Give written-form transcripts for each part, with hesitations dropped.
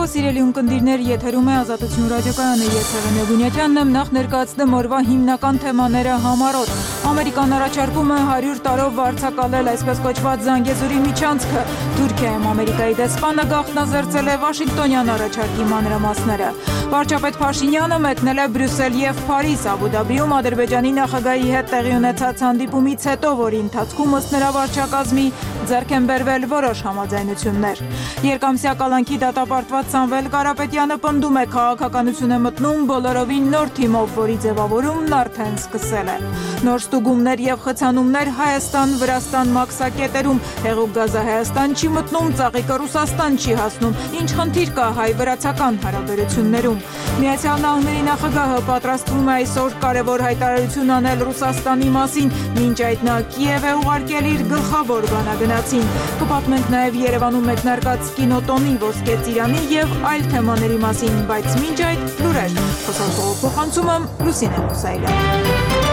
Բարեկո սիրելի ունկնդիրներ, եթերում է Ազատություն ռադիոկայանը, ես Հեղինե Բունյատյանն եմ, նախ ներկայացնեմ օրվա հիմնական թեմաները համառոտ։ Ամերիկան առաջարկում է 100 տարով վարձակալել այսպես կոչված Զանգեզուրի միջանցքը։ Թուրքիայում Ամերիկայի դեսպանը գաղտնազերծել է Վաշինգտոնյան առաջարկի մանրամասները։ Վարչապետ Փաշինյանը մեկնել է Բրյուսել եւ Փարիզ, Աբու Դաբիում Ադրբեջանի նախագահի հետ տեղի ունեցած հանդիպումից հետո, որի ընթացքում ըստ նրա վարչակազմի ձեռք են բերվել որոշ համաձայնություններ։ Երկամսյա կալանքի դատապարտված Սամվել Կարապետյանը պնդում է, քաղաքականություն է մտնում բոլորովին նոր թիմով, որի ձևավորումն արդեն սկսել է։ Նոր ստուգումներ եւ խցանումներ Հայաստան-Վրաստան մաքսակետերում, հեղուկ գազը Հայաստան չի մտնում, ծաղիկը Ռուսաստան չի հասնում, ինչ խնդիր կա հայ-վրացական հարաբերություններում։ Միացյալ Նահանգների նախագահը պատրաստվում է այսօր կարևոր հայտարարություն անել Ռուսաստանի մասին, մինչ այդ նա Կիև է ուղարկել իր գլխավոր բանագնացին։ Կպատմենք նաև Երևանում մեկնարկած կինոտոնի, Ոսկե ծիրանի եւ այլ թեմաների մասին, բայց մինչ այդ լուրեր։ Խոսանքով փոխանցում եմ Լուսինե Մուսայելյան։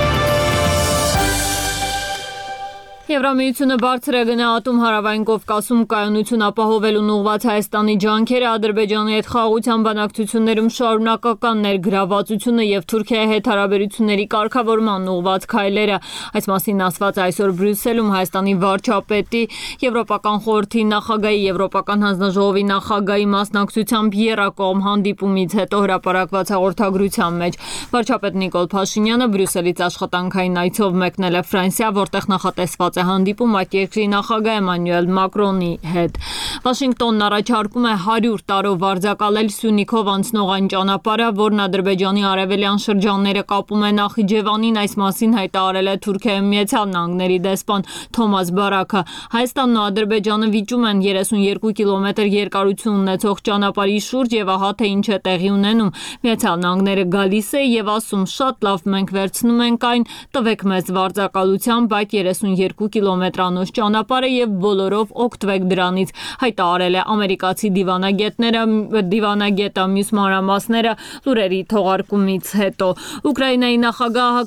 Եվրամիությունը բարձր է գնահատում հարավային Կովկասում կայունություն ապահովելուն ուղղված Հայաստանի ջանքերը, Ադրբեջանի հետ խաղաղության բանակցություններում շարունակական ներգրավվածությունը եւ Թուրքիայի հետ հարաբերությունների կարգավորման ուղղված քայլերը։ Այս մասին ասված այսօր Բրյուսելում Հայաստանի վարչապետի, Եվրոպական խորհրդի նախագահի, Եվրոպական հանձնաժողովի նախագահի մասնակցությամբ եռակողմ հանդիպումից հետո հրապարակված հաղորդագրության մեջ վարչապետ Նիկոլ Փաշինյանը Բրյուսելից աշխատանքային այցով մեկնել է Ֆրանսիա, որտեղ նախատեսված հանդիպում այդ երկրի նախագահ Էմանուել Մակրոնի հետ։ Վաշինգտոնն առաջարկում է 100 տարով վարձակալել Սյունիքով անցնող այն ճանապարհը, որն Ադրբեջանի արևելյան շրջանները կապում է Նախիջևանին, այս մասին հայտարարել է Թուրքիայում Միացյալ Նահանգների դեսպան Թոմաս Բարաքը։ Հայաստանն ու Ադրբեջանը վիճում են 32 կիլոմետր երկարություն ունեցող ճանապարհի շուրջ եւ ահա թե ինչ է տեղի ունենում։ Միացյալ Նահանգները գալիս է եւ ասում շատ լավ, մենք վերցնում ենք այն, տվեք մեզ վարձակալությամբ այդ 32 կիլոմետրանոց ճանապարհը եւ բոլորով օգտվեք դրանից, հայտարարել է ամերիկացի դիվանագետը մյուս մանրամասները լուրերի թողարկումից հետո։ Ուկրաինայի նախագահը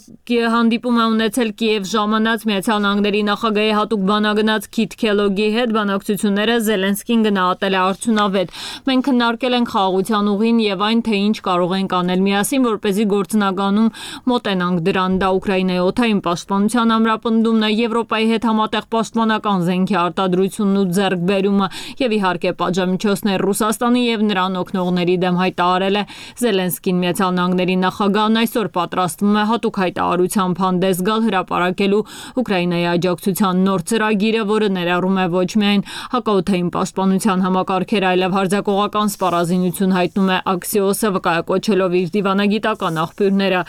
հանդիպում է ունեցել Կիև ժամանած Միացյալ Նահանգների նախագահի հատուկ բանագնաց Քիթ Քելոգի հետ, բանակցությունները Զելենսկին գնահատել է արդյունավետ։ Մենք քննարկել ենք խաղաղության ուղին եւ այն, թե ինչ կարող ենք անել միասին, որպեսզի գործնականում մոտենանք դրան։ Դա Ուկրաինայի օդային պաշտպանության ամրապնդումն է, Եվրոպայի հետ համատեղ պաշտպանական զենքի արտադրությունն ու ձեռքբերումը եւ իհարկե պատժամիջոցներ Ռուսաստանի եւ նրան օգնողների դեմ, հայտարարել է Զելենսկին։ Միացյալ Նահանգների նախագահն այսօր պատրաստվում է հատուկ հայտարարությամբ հանդես գալ հրապարակելու Ուկրաինայի աջակցության նոր ծրագիրը, որը ներառում է ոչ միայն հակաօդային պաշտպանության համակարգեր, այլև հարձակողական սպառազինություն, հայտնում է Axios-ը, վկայակոչելով իր դիվանագիտական աղբյուրները։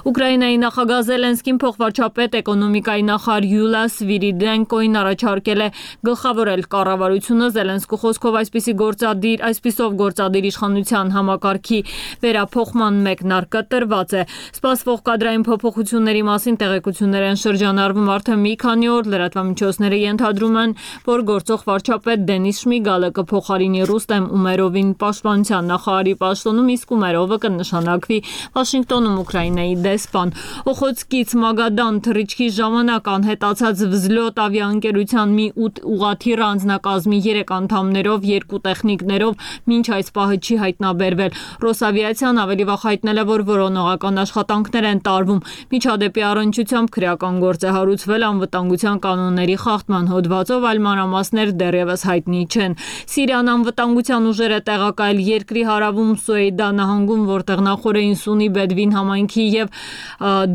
Ուկրաինայի նախագահ Զելենսկին փոխվարչապետ էկոնոմիկայի նախարար Յուլիա Սվիրիդենկոին առաջարկել է գլխավորել կառավարությունը Զելենսկու խոսքով այսպիսով գործադիր իշխանության համակարգի վերափոխման մեկնարկը տրված է։ Սպասվող կադրային փոփոխությունների մասին տեղեկություններ են շրջանառվում արդեն մի քանի օր, լրատվամիջոցները ենթադրում են, որ գործող վարչապետ Դենիս Շմիգալը կփոխարինի Ռուստեմ Ումերովին պաշտպանության նախարարի պաշտոնում, իսկ Ումերովը կնշանակվի Վաշինգտոնում Ուկրաինայի դեսպան։ Օխոտսկից Մագադան թռիչքի ժամանակ անհետացած Վզլոտ ավիաընկերության մի 8 ուղղաթիռ անձնակազմի 3 անդամներով, 2 տեխնիկներով մինչ այս պահը չի հայտնաբերվել։ Ռոսավիացիան ավելի վաղ հայտնել է, որ որոնողական աշխատանքներ են տարվում։ Միջադեպի առնչությամբ քրեական գործ է հարուցվել անվտանգության կանոնների խախտման հոդվածով, այլ մանրամասներ դեռևս հայտնի չեն։ Սիրիան անվտանգության ուժերը տեղակայել երկրի հարավում Սուեյդա նահանգում, որտեղ նախորդին Սունի Բեդվին համայնքի եւ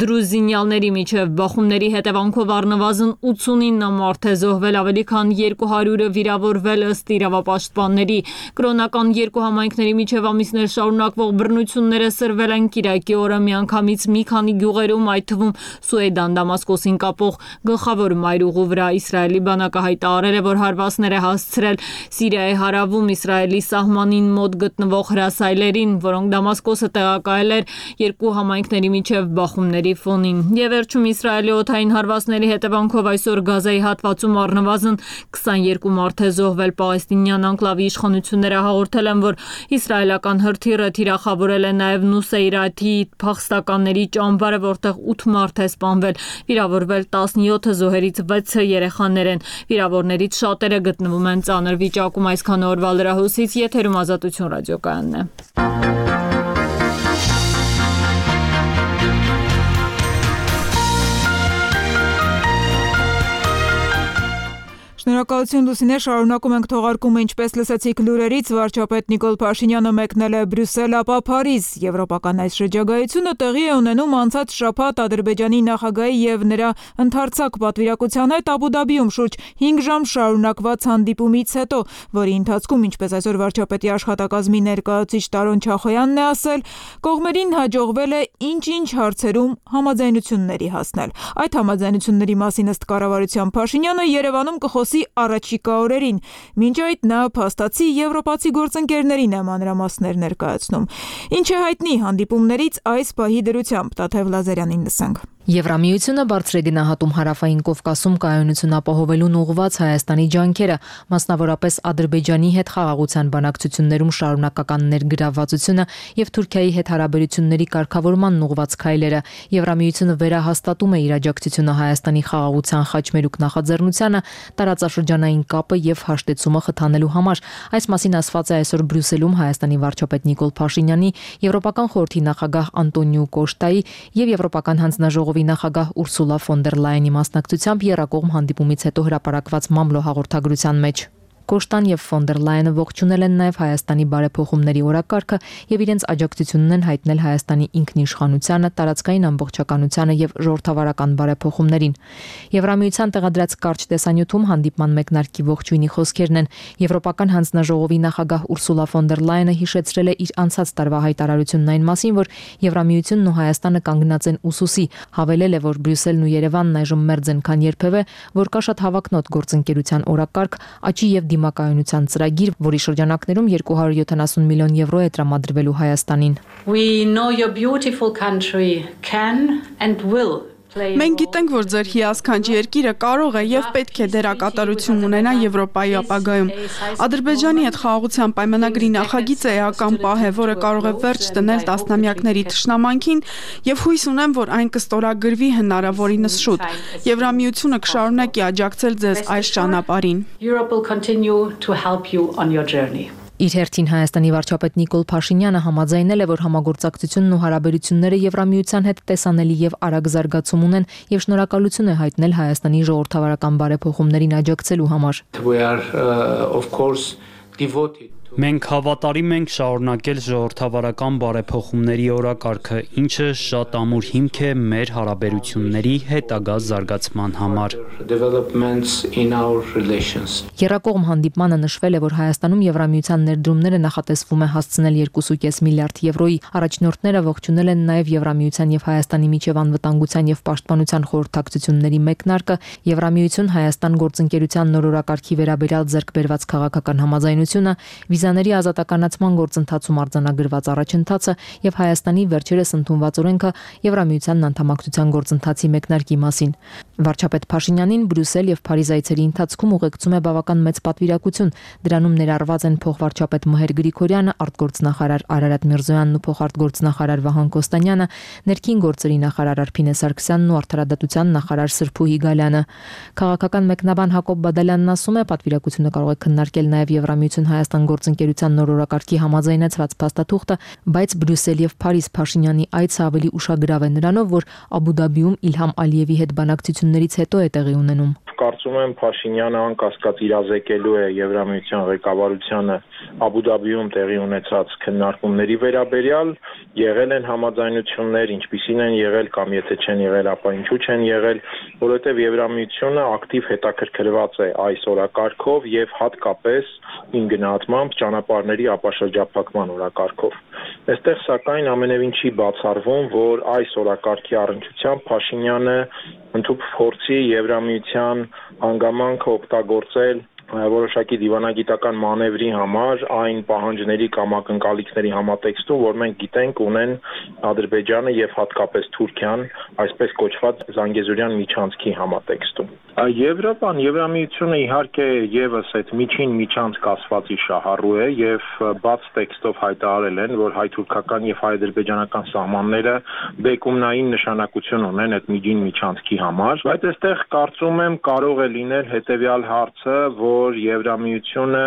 դրուզինյալների միջև բախումների հետևանքով առնվազն 89 մարդ է զոհվել, ավելի քան 200-ը վիրավորվել ըստ իրավապաշտպանների։ Կրոնական երկու համայնքների միջև ամիսներ շարունակվող բռնությունները սրվել են Կիրակի օրը միանգամից մի քանի գյուղերում, այդ թվում Սուեդան Դամասկոսին կապող գլխավոր մայրուղու վրա։ Իսրայելի բանակը հայտարարել է, որ հարվածներ է հասցրել Սիրիայի հարավում Իսրայելի սահմանին մոտ գտնվող հրասայլերին, որոնք Դամասկոսը տեղակայել էր երկու համայնքների միջև բախումների ֆոնին։ Եվ վերջում Իսրայելի օդային հարվածների հետևանքով այս այսօր Գազայի հատվածում առնվազն 22 մարդ է զոհվել։ Պաղեստինյան անկլավի իշխանությունները հաղորդել են, որ իսրայելական հրթիռը թիրախավորել է նաև Նուսեյրաթի փախստականների ճամբարը, որտեղ 8 մարդ է սպանվել, վիրավորվել 17 զոհերից 6 երեխաներ են։ Վիրավորներից շատերը գտնվում են ծանր վիճակում։ Այսքան օրվա լրահոսից եթերում Ազատություն ռադիոկայանն է։ Շնորհակալություն Լուսինե, շարունակում ենք թողարկումը, ինչպես լսեցիք լուրերից, վարչապետ Նիկոլ Փաշինյանը մեկնել է Բրյուսել, ապա Փարիզ։ Եվրոպական այս շրջագայությունը տեղի է ունենում անցած շաբաթ Ադրբեջանի նախագահի եւ նրա ընդարձակ պատվիրակության հետ Աբու Դաբիում շուրջ 5 ժամ շարունակված հանդիպումից հետո, որի ընթացքում, ինչպես այսօր վարչապետի աշխատակազմի ներկայացուցիչ Տարոն Չախոյանն է ասել, կողմերին հաջողվել է ինչ-ինչ հարցերում համաձայնությունների հասնել։ Այդ համաձայնությունների մասին ըստ կառավարության Փաշինյանը Երևանում կխոսի առաջիկա օրերին։ Մինչ այդ նա փաստացի եվրոպացի գործընկերներին է մանրամասներ ներկայացնում։ Ինչ է հայտնի հանդիպումներից այս պահի դրությամբ, Տաթև Լազարյանին լսենք։ Եվրամիությունը բարձր է գնահատում Հարավային Կովկասում կայունություն ապահովելուն ուղղված Հայաստանի ջանքերը, մասնավորապես Ադրբեջանի հետ խաղաղության բանակցություններում շարունակական ներգրավվածությունը եւ Թուրքիայի հետ հարաբերությունների կարգավորմանն ուղղված քայլերը։ Եվրամիությունը վերահաստատում է իր աջակցությունը Հայաստանի խաղաղության խաչմերուկ նախաձեռնությանը, տարածաշրջանային կապը եւ հաշտեցումը խթանելու համար։ Այս մասին ասված է այսօր Բրյուսելում Հայաստանի վարչապետ Նիկոլ Փաշինյանի, Եվրոպական խորհրդի նախագահ Անտոնիո Կոշտայի եւ Եվրոպական հանձնաժողովի նախագահ Ուրսուլա ֆոն դեր Լայենի մասնակցությամբ եռակողմ հանդիպումից հետո հրապարակված մամլո հաղորդագրության մեջ։ Կոշտան եւ ֆոն դեր Լայենը ողջունել են նաև Հայաստանի բարեփոխումների օրակարգը եւ իրենց աջակցությունն են հայտնել Հայաստանի ինքնիշխանությանը, տարածքային ամբողջականությանը եւ ժողովրդավարական բարեփոխումներին։ Եվրամիության տեղադրած կարճ տեսանյութում հանդիպման մեկնարկի ողջույնի խոսքերն են։ Եվրոպական հանձնաժողովի նախագահ Ուրսուլա ֆոն դեր Լայենը հիշեցրել է իր անցած տարվա հայտարարությունն այն մասին, որ Եվրամիությունն ու Հայաստանը կանգնած են ուսուսի, հավելել է, որ Բրյուսելն ու Երևանն այժմ մերձ են, քան երբևէ, որ կա շատ հավակնոտ գործընկերության օրակարգ, աճի եւ դիմակայունության ծրագիր, որի շրջանակներում 270 միլիոն եվրո է տրամադրվելու Հայաստանին։ We know your beautiful country can and will. Մենք գիտենք, որ ձեր հիասքանչ երկիրը կարող է եւ պետք է դերակատարություն ունենա Եվրոպայի ապագայում։ Ադրբեջանի հետ խաղաղության պայմանագրի նախագիծը էական պահ է, որը կարող է վերջ դնել տասնամյակների թշնամանքին եւ հույս ունեմ, որ այն կստորագրվի հնարավորինս շուտ։ Եվրամիությունը կշարունակի աջակցել ձեզ այս ճանապարհին։ Europe will continue to help you on your journey. Իր հերթին Հայաստանի վարչապետ Նիկոլ Փաշինյանը համաձայնել է, որ համագործակցությունն ու հարաբերությունները Եվրամիության հետ տեսանելի եւ արագ զարգացում ունեն եւ շնորհակալություն է հայտնել Հայաստանի ժողովրդավարական բարեփոխումներին աջակցելու համար։ We are of course devoted. Մենք հավատարիմ ենք շարունակել ժողովրդավարական բարեփոխումների օրակարգը, ինչը շատ ամուր հիմք է մեր հարաբերությունների հետագա զարգացման համար։ Եռակողմ հանդիպմանը նշվել է, որ Հայաստանում Եվրամիության ներդրումները նախատեսվում է հասցնել 2.5 միլիարդ եվրոյի։ Առաջնորդները ողջունել են նաև Եվրամիության եւ Հայաստանի միջև անվտանգության եւ պաշտպանության խորհրդակցությունների մեկնարկը, Եվրամիություն Հայաստան գործընկերության նոր օրակարգի վերաբերյալ ձեռք բերված քաղաքական համաձայնությունը, վիզաների ազատականացման գործընթացում արձանագրված առաջընթացը եւ Հայաստանի վերջերս ընդունված օրենքը Եվրամիությանն անդամակցության գործընթացի մեկնարկի մասին։ Վարչապետ Փաշինյանին Բրյուսել եւ Փարիզ այցերի ընթացքում ուղեկցում է բավական մեծ պատվիրակություն։ Դրանում ներառված են փոխվարչապետ Մհեր Գրիգորյանը, արտգործնախարար Արարատ Միրզոյանն ու փոխարտգործնախարար Վահան Կոստանյանը, ներքին գործերի նախարար Արփինե Սարգսյանն ու արդարադատության նախարար Սրփուհի Գալյանը։ Քաղաքական մեկնաբան Հակոբ Բադալյանն ասում է, պատվիրակությունը կարող է քննարկել նաեւ Եվրամիություն Հայաստան գործընկերության նոր օրակարգի համաձայնեցված փաստաթուղթը, բայց Բրյուսել եւ Փարիզ Փաշինյանի այցը ավելի ուշագրավ է նրանով, որ Աբու Դաբիում Իլհամ Ալիևի հետ բանակցություններից հետո է տեղի ունենում։ Կարծում եմ Փաշինյանը անկասկած իրազեկելու է Եվրամիության ղեկավարությանը Աբու Դաբիում տեղի ունեցած քննարկումների վերաբերյալ, եղել են համաձայնություններ, ինչպիսին են եղել կամ եթե չեն եղել, ապա ինչու չեն եղել, որովհետև Եվրամիությունը ակտիվ հետաքրքրված է այս օրակարգով եւ հատկապես իմ գնահատմամբ ճանապարհների ապաշրջափակման օրակարգով։ Այստեղ սակայն ամենևին չի բացառվում, որ այս օրակարգի առնչությամբ Փաշինյանը ընդհանուր փորձի Եվրամիության հանգամանքը օգտագործել որոշակի դիվանագիտական մանևրի համար այն պահանջների կամ ակնկալիքների համատեքստում, որ մենք գիտենք ունեն Ադրբեջանը եւ հատկապես Թուրքիան, այսպես կոչված Զանգեզուրյան միջանցքի համատեքստում։ Եվրոպան, Եվրամիությունը իհարկե եւս այդ միջին միջանցք ասվածի շահառու է եւ բաց տեքստով հայտարարել են, որ հայ-թուրքական եւ հայ-ադրբեջանական սահմանները բեկումնային նշանակություն ունեն այդ միջին միջանցքի համար, բայց այստեղ կարծում եմ կարող է լինել հետեւյալ հարցը, որ Եվրամիությունը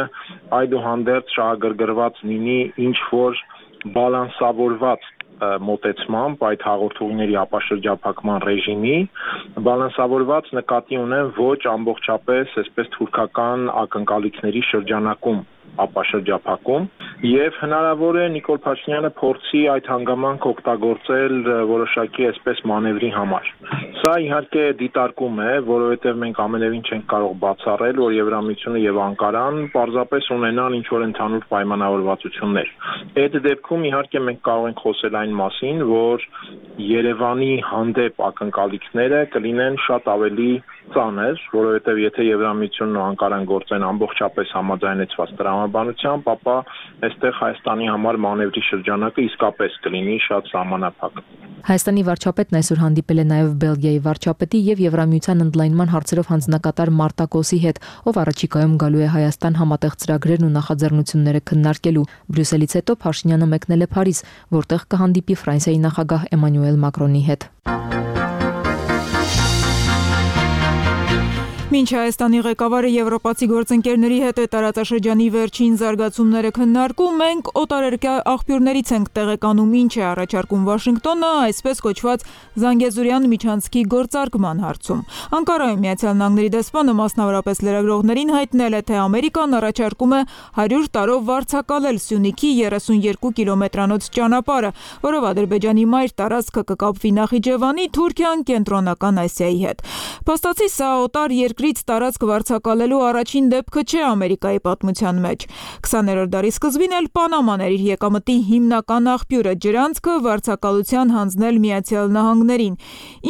այդուհանդերձ շահագրգռված լինի ինչ որ բալանսավորված մոտեցմամբ այդ հաղորդումների ապաշրջափակման ռեժիմի բալանսավորված նկատի ունեն ոչ ամբողջապես այսպես թուրքական ակնկալիքների շրջանակում ապաշրջափակում եւ հնարավոր է Նիկոլ Փաշինյանը փորձի այդ հանգամանքը օգտագործել որոշակի այսպես մանևրի համար։ Սա իհարկե դիտարկում է, որովհետեւ մենք ամենևին չենք կարող բացառել, որ Եվրամիությունը եւ Անկարան պարզապես ունենան ինչ որ ընդհանուր պայմանավորվածություններ։ Այդ դեպքում իհարկե մենք կարող ենք խոսել այն մասին, որ Երևանի հանդեպ ակնկալիքները կլինեն շատ ավելի ծանր, որովհետեւ եթե Եվրամիությունն ու Անկարան գործեն ամբողջապես համաձայնեցված տրամաբանությամբ, ապա այստեղ Հայաստանի համար մանևրի շրջանակը իսկապես կլինի շատ սահմանափակ։ Հայաստանի վարչապետն այսօր հանդիպել է նաև Բելգիայի վարչապետի եւ Եվրամիության ընդլայնման հարցերով հանձնակատար Մարտակոսի հետ, ով առաջիկայում գալու է Հայաստան համատեղ ծրագրերն ու նախաձեռնությունները քննարկելու։ Բրյուսելից հետո Փաշինյանը մեկնել է Փարիզ, որտեղ կհանդիպի Ֆրանսիայի նախագահ Էմանուել Մակրոնի հետ։ Մինչ Հայաստանի ղեկավարը եվրոպացի գործընկերների հետ է տարածաշրջանի վերջին զարգացումները քննարկում, մենք օտարերկրյա աղբյուրներից ենք տեղեկանում ինչ է առաջարկում Վաշինգտոնը, այսպես կոչված Զանգեզուրյան միջանցքի գործարկման հարցում։ Անկարայում ԱՄՆ-ի դեսպանը մասնավորապես լրագրողներին հայտնել է, թե Ամերիկան առաջարկում է 100 տարով վարձակալել Սյունիքի 32 կիլոմետրանոց ճանապարհը, որով Ադրբեջանի մայր տարածքը կկապվի Նախիջևանի, Թուրքիան, Կենտրոնական Ասիայի հետ։ Փաստացի սա օտար երկրից տարածք վարձակալելու առաջին դեպքը չէ Ամերիկայի պատմության մեջ։ 20-րդ դարի սկզբին էլ Պանաման էր իր եկամտի հիմնական աղբյուրը, ջրանցքը վարձակալության հանձնել Միացյալ Նահանգներին։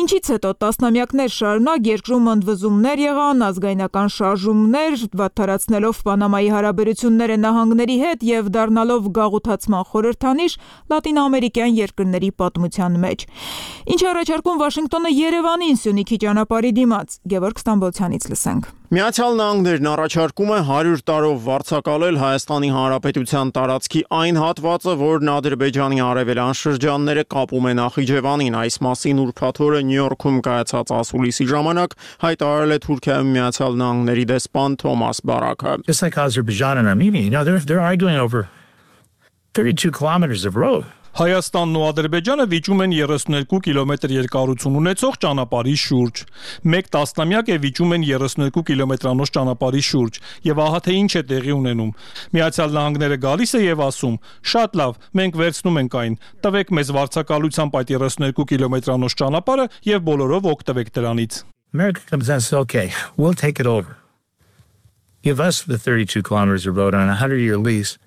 Ինչից հետո տասնամյակներ շարունակ երկրում ընդվզումներ եղան, ազգայնական շարժումներ, վատթարացնելով Պանամայի հարաբերությունները նահանգների հետ եւ դառնալով գաղութացման խորհրդանիշ լատինաամերիկյան երկրների պատմության մեջ։ Ինչ առաջարկում Վաշինգտոնը Երևանին Սյունիքի ճանապարհի դիմաց։ Գևորգ Ստամբոլցյանից լսենք։ Միացյալ Նահանգներն առաջարկում է 100 տարով վարձակալել Հայաստանի Հանրապետության տարածքի այն հատվածը, որն Ադրբեջանի արևելյան շրջանները կապում է Նախիջևանին։ Այս մասին ուրբաթ օրը Նյու Յորքում կայացած ասուլիսի ժամանակ հայտարարել է Թուրքիայում Միացյալ Նահանգների դեսպան Թոմաս Բարաքը։ Just like Azerbaijan and Armenia, they're arguing over 32 kilometers of road. Հայաստանն ու Ադրբեջանը վիճում են 32 կիլոմետր երկարություն ունեցող ճանապարհի շուրջ։ Մեկ տասնամյակ է վիճում են 32 կիլոմետրանոց ճանապարհի շուրջ, եւ ահա թե ինչ է տեղի ունենում։ Միացյալ Նահանգները գալիս է եւ ասում. «Շատ լավ, մենք վերցնում ենք այն։ Տվեք մեզ վարձակալությամբ այդ 32 կիլոմետրանոց ճանապարհը եւ բոլորով օգտվեք դրանից»։ America comes and says, "Okay, we'll take it over. Give us the 32 kilometers of road on a 100-year lease.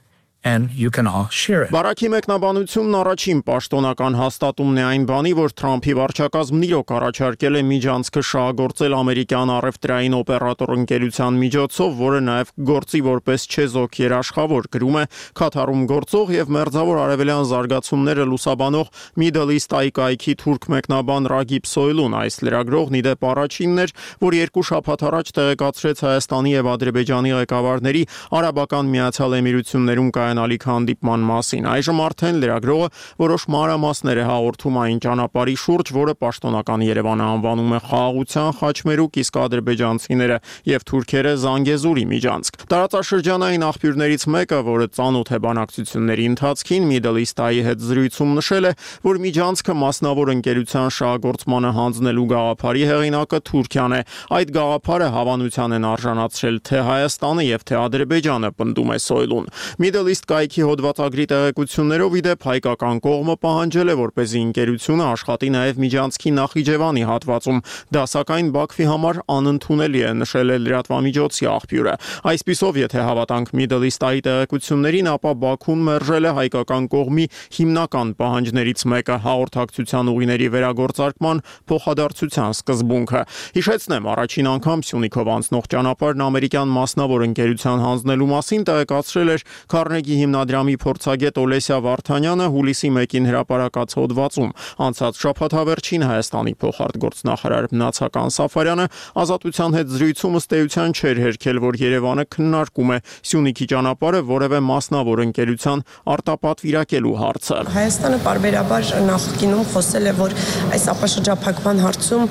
And you can all share it." Բարաքի մեկնաբանությունն առաջին պաշտոնական հաստատումն է այն բանի, որ Թրամփի վարչակազմն իրոք առաջարկել է միջանցքը շահագործել ամերիկյան առևտրային օպերատոր ընկերության միջոցով, որը նաև գործի որպես չեզոք երաշխավոր, գրում է Քաթարում գործող եւ մերձավոր արևելյան զարգացումները լուսաբանող Middle East կայքի թուրք մեկնաբան Ռագիբ Սոյլուն։ Այս լրագրողն ի դեպ առաջինն էր, որ երկու շաբաթ առաջ տեղեկացրեց Հայաստանի եւ Ադրբեջանի ղեկավարների Արաբական Միացյալ Էմիրություններում ալիք հանդիպման մասին։ Այժմ արդեն լրագրողը որոշ մանրամասներ է հաղորդում այն ճանապարհի շուրջ, որը պաշտոնական Երևանը անվանում է խաղաղության խաչմերուկ, իսկ ադրբեջանցիները եւ թուրքերը Զանգեզուրի միջանցք։ Տարածաշրջանային աղբյուրներից մեկը, որը ծանոթ է բանակցությունների ընթացքին, Middle East-ի հետ զրույցում նշել է, որ միջանցքը մասնավոր ընկերության շահագործմանը հանձնելու գաղափարի հեղինակը Թուրքիան է։ Այդ գաղափարը հավանության են արժանացրել թե Հայաստանը եւ թե Ադրբեջանը, պնդում է Սոյլուն։ Middle Middle East կայքի հոդվածագրի տեղեկություններով ի դեպ հայկական կողմը պահանջել է, որպեսզի ընկերությունը աշխատի նաև Միջանցքի Նախիջևանի հատվածում, դա սակայն Բաքվի համար անընդունելի է, նշել է լրատվամիջոցի աղբյուրը։ Այսպիսով, եթե հավատանք Middle East-ի տեղեկություններին, ապա Բաքուն մերժել է հայկական կողմի հիմնական պահանջներից մեկը՝ հաղորդակցության ուղիների վերագործարկման փոխադարձության սկզբունքը։ Հիշեցնեմ, առաջին անգամ Սյունիքով անցնող ճանապարհն ամերիկյան մասնավոր ընկերության հանձնելու մասին տեղեկացրել էր Քարնեգի հիմնադրամի փորձագետ Օլեսիա Վարդանյանը հուլիսի 1-ին հրապարակած հոդվածում։ Անցած շաբաթավերջին Հայաստանի փոխարտգործնախարար Մնացական Սաֆարյանը Ազատության հետ զրույցում ըստ էության չէր հերքել, որ Երևանը քննարկում է Սյունիքի ճանապարհը որևէ մասնավոր ընկերության արտապատվիրակելու հարցը։ Հայաստանը պարբերաբար նախկինում խոսել է, որ այս ապաշրջափակման հարցում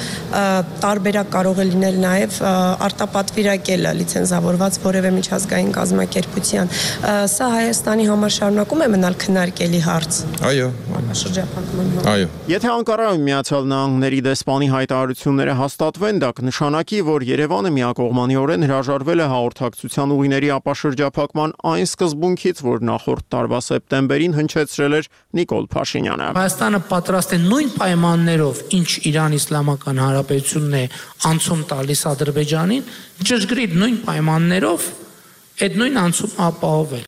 տարբերակ կարող է լինել նաև արտապատվիրակելը լիցենզավորված որևէ միջազգային կազմակերպության։ Սա Հայաստանի համար շարունակում է մնալ քննարկելի հարց։ Այո, ապաշրջափակման։ Այո։ Եթե Անկարայում Միացյալ Նահանգների դեսպանի հայտարարությունները հաստատվեն, դա կնշանակի, որ Երևանը միակողմանիորեն հրաժարվել է հաղորդակցության ուղիների ապաշրջափակման այն սկզբունքից, որ նախորդ տարվա սեպտեմբերին հնչեցրել էր Նիկոլ Փաշինյանը։ Հայաստանը պատրաստ է նույն պայմաններով, ինչ Իրան Իսլամական Հանրապետությունն է անցում տալիս Ադրբեջանին, ճշգրիտ նույն պայմաններով այդ նույն անցում ապահովել։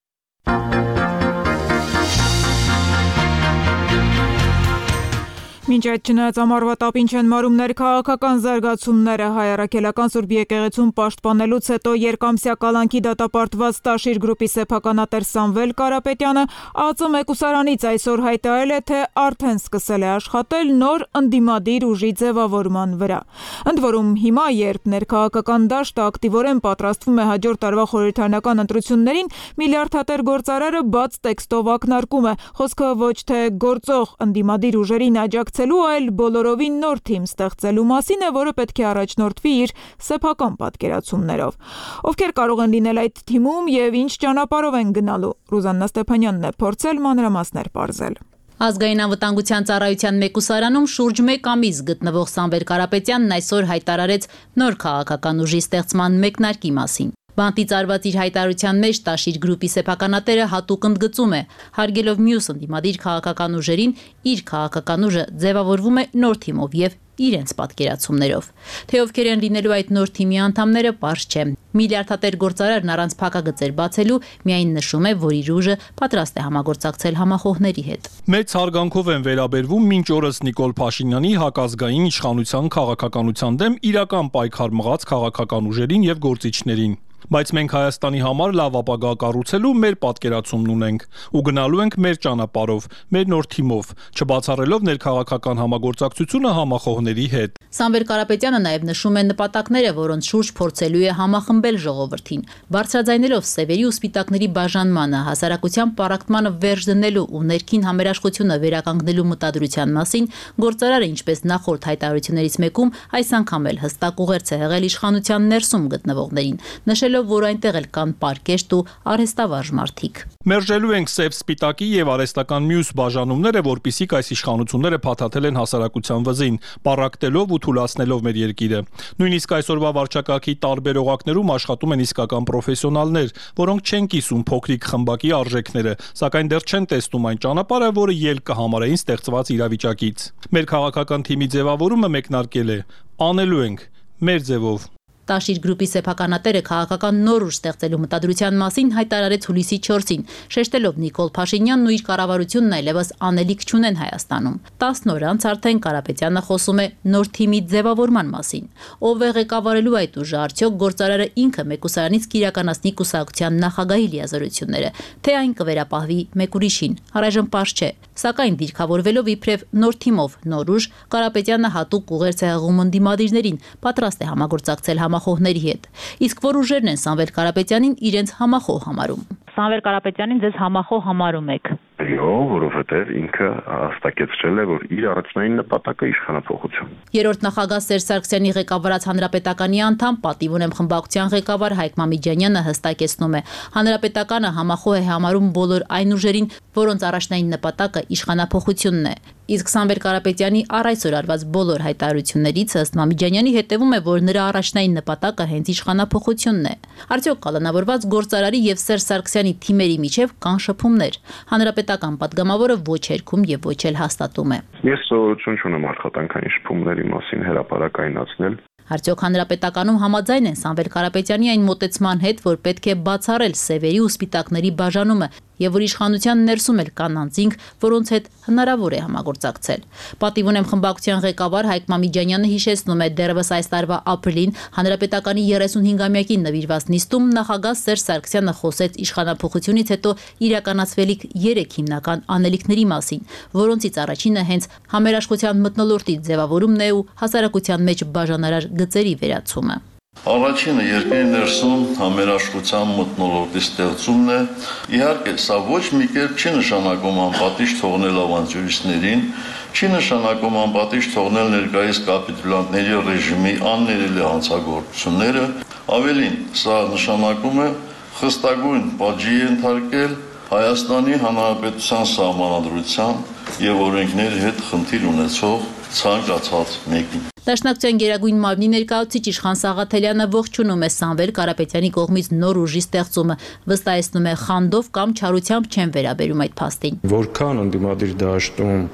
Մինչ այդ չնայած ամառվա տապին չեն մարում ներքաղաքական զարգացումները, Հայ առաքելական Սուրբ եկեղեցում պաշտպանելուց հետո երկամսյա կալանքի դատապարտված Տաշիր գրուպի սեփականատեր Սամվել Կարապետյանը ԱԾ մեկուսարանից այսօր հայտարարել է, թե արդեն սկսել է աշխատել նոր ընդդիմադիր ուժի ձևավորման վրա։ Ընդ որում հիմա, երբ ներքաղաքական դաշտը ակտիվորեն պատրաստվում է հաջորդ տարվա խորհրդարանական ընտրություններին, միլիարդատեր գործարարը բաց տեքստով ակնարկում է, խոսքը ոչ թե գործող ընդդիմադիր ուժերին աջակցելու, այլ բոլորովին նոր թիմ ստեղծելու մասին է, որը պետք է առաջնորդվի իր սեփական պատկերացումներով։ Ովքեր կարող են լինել այդ թիմում եւ ինչ ճանապարհով են գնալու, Ռուզաննա Ստեփանյանն է փորձել մանրամասներ պարզել։ Ազգային անվտանգության ծառայության մեկուսարանում շուրջ 1 ամիս գտնվող Սամվել Կարապետյանն այսօր հայտարարեց նոր քաղաքական ուժի ստեղծման մեկնարկի մասին։ Բանտից արված իր հայտարարության մեջ Տաշիր գրուպի սեփականատերը հատուկ ընդգծում է, հարգելով մյուս ընդդիմադիր քաղաքական ուժերին, իր քաղաքական ուժը ձևավորվում է նոր թիմով եւ իրենց պատկերացումներով։ Թե ովքեր են լինելու այդ նոր թիմի անդամները, պարզ չէ։ Միլիարդատեր գործարարն առանց փակագծեր բացելու միայն նշում է, որ իր ուժը պատրաստ է համագործակցել համախոհների հետ։ Մեծ հարգանքով են վերաբերվում մինչ օրս Նիկոլ Փաշինյանի հակազգային իշխանության քաղաքականության դեմ իրական պայքար մղած քաղաքական ուժերին եւ գործիչներին։ Բայց մենք Հայաստանի համար լավ ապագա կառուցելու մեր պատկերացումն ունենք ու գնալու ենք մեր ճանապարհով, մեր նոր թիմով, չբացառելով ներքաղաքական համագործակցությունը համախոհների հետ։ Սամվել Կարապետյանը նաև նշում է նպատակները, որոնց շուրջ փորձելու է համախմբել ժողովրդին, բարձրաձայնելով սևերի ու սպիտակների բաժանմանը, հասարակության պառակտմանը վերջ դնելու ու ներքին համերաշխությունը վերականգնելու մտադրության մասին, գործարարը, ինչպես նախորդ հայտարարություններից մեկում, այս անգամ էլ հստակ ուղերձ է եղել իշխանության ներսում գտնվողներին, նշելով, որ այնտեղ էլ կան պարկեշտ ու արհեստավարժ մարդիկ։ Մերժելու ենք սև սպիտակի եւ արհեստական մյուս բաժանումները, որպիսիք այս իշխանությունները փաթաթել են հասարակության վզին, պառակտելով ու թուլացնելով մեր երկիրը։ Նույնիսկ այսօրվա վարչակարգի տարբեր օղակներում աշխատում են իսկական պրոֆեսիոնալներ, որոնք չեն կիսում փոքրիկ խմբակի արժեքները, սակայն դեռ չեն տեսնում այն ճանապարհը, որը ելք կհամարեին ստեղծված իրավիճակից։ Մեր քաղաքական թիմի ձևավորումը մեկնարկել է, անելու ենք մեր ձևով։ Տաշիր գրուպի սեփականատերը քաղաքական նոր ուժ ստեղծելու մտադրության մասին հայտարարեց հուլիսի 4-ին, շեշտելով Նիկոլ Փաշինյանն ու իր կառավարությունն այլևս անելիք չունեն Հայաստանում։ 10 օր անց արդեն Կարապետյանը խոսում է նոր թիմի ձևավորման մասին։ Ով է ղեկավարելու այդ ուժը, արդյոք գործարարը ինքը մեկուսարանից կիրականացնի կուսակցության նախագահի լիազորությունները, թե այն կվերապահվի մեկ ուրիշին, առայժմ պարզ չէ։ Սակայն դիրքավորվելով իբրև նոր թիմով նոր ուժ, Կարապետյանը հատուկ ուղերձ է հղում ընդդիմադիրներին, պատրաստ է համագործակցել համախոհների հետ։ Իսկ որ ուժերն են Սամվել Կարապետյանին իրենց համախոհ համարում։ Սամվել Կարապետյանին ձեզ համախոհ համարում եք։ Այո, որովհետև ինքը հստակեցրել է, որ իր առաջնային նպատակը իշխանափոխություն։ Երրորդ նախագահ Սերժ Սարգսյանի ղեկավարած Հանրապետականի անդամ, պատիվ ունեմ խմբակցության ղեկավար Հայկ Մամիջանյանը հստակեցնում է, Հանրապետականը համախոհ է համարում բոլոր այն ուժերին, որոնց առաջնային նպատակը իշխանափոխությունն է։ Իսկ Սամվել Կարապետյանի առ այսօր արված բոլոր հայտարարություններից ըստ Մամիջանյանի հետևում է, որ նրա առաջնային նպատակը հենց իշխանափոխությունն է։ Արդյոք կալանավորված գործարարի եւ Սերժ Սարգսյանի թիմերի միջև կան շփումներ։ Հանրապետական падգամավորը ոչ երգում եւ ոչ էլ հաստատում է։ Ես սովորություն չունեմ աշխատանքային շփումների մասին հրապարակայնացնել։ Արդյոք հանրապետականում համաձայն են Սամվել Կարապետյանի այն մոտեցման հետ, որ պետք է բացառել սևերի ու սպիտակների բաժանումը եւ որ իշխանության ներսում էլ կան անձինք, որոնց հետ հնարավոր է համագործակցել։ Պատիվ ունեմ խմբակցության ղեկավար Հայկ Մամիջանյանը հիշեցնում է դեռևս այս տարվա ապրիլին հանրապետականի 35-ամյակին նվիրված նիստում նախագահ Սերժ Սարգսյանը խոսեց իշխանափոխությունից հետո իրականացվելիք 3 հիմնական անելիքների մասին, որոնցից առաջինը հենց համերաշխության մթնոլորտի ձևավորումն է ու հասարակության մեջ բաժանարար գծերի վերացումը։ Առաջինը երկրի ներսում համերաշխության մթնոլորտի ստեղծումն է։ Իհարկե, սա ոչ մի կերպ չի նշանակում անպատիժ թողնել ավանտյուրիստներին, չի նշանակում անպատիժ թողնել ներկայիս կապիտուլյանտների ռեժիմի աններելի հանցագործությունները։ Ավելին, սա նշանակում է խստագույն պատժի ենթարկել Հայաստանի Հանրապետության սահմանադրության եւ օրենքների հետ խնդիր ունեցող ցանկացած մեկին։ Դաշնակցության գերագույն մարմնի ներկայացուցիչ Իշխան Սաղաթելյանը ողջունում է Սամվել Կարապետյանի կողմից նոր ուժի ստեղծումը, վստահեցնում է խանդով կամ չարությամբ չեն վերաբերում այդ փաստին։ Որքան ընդդիմադիր դաշտում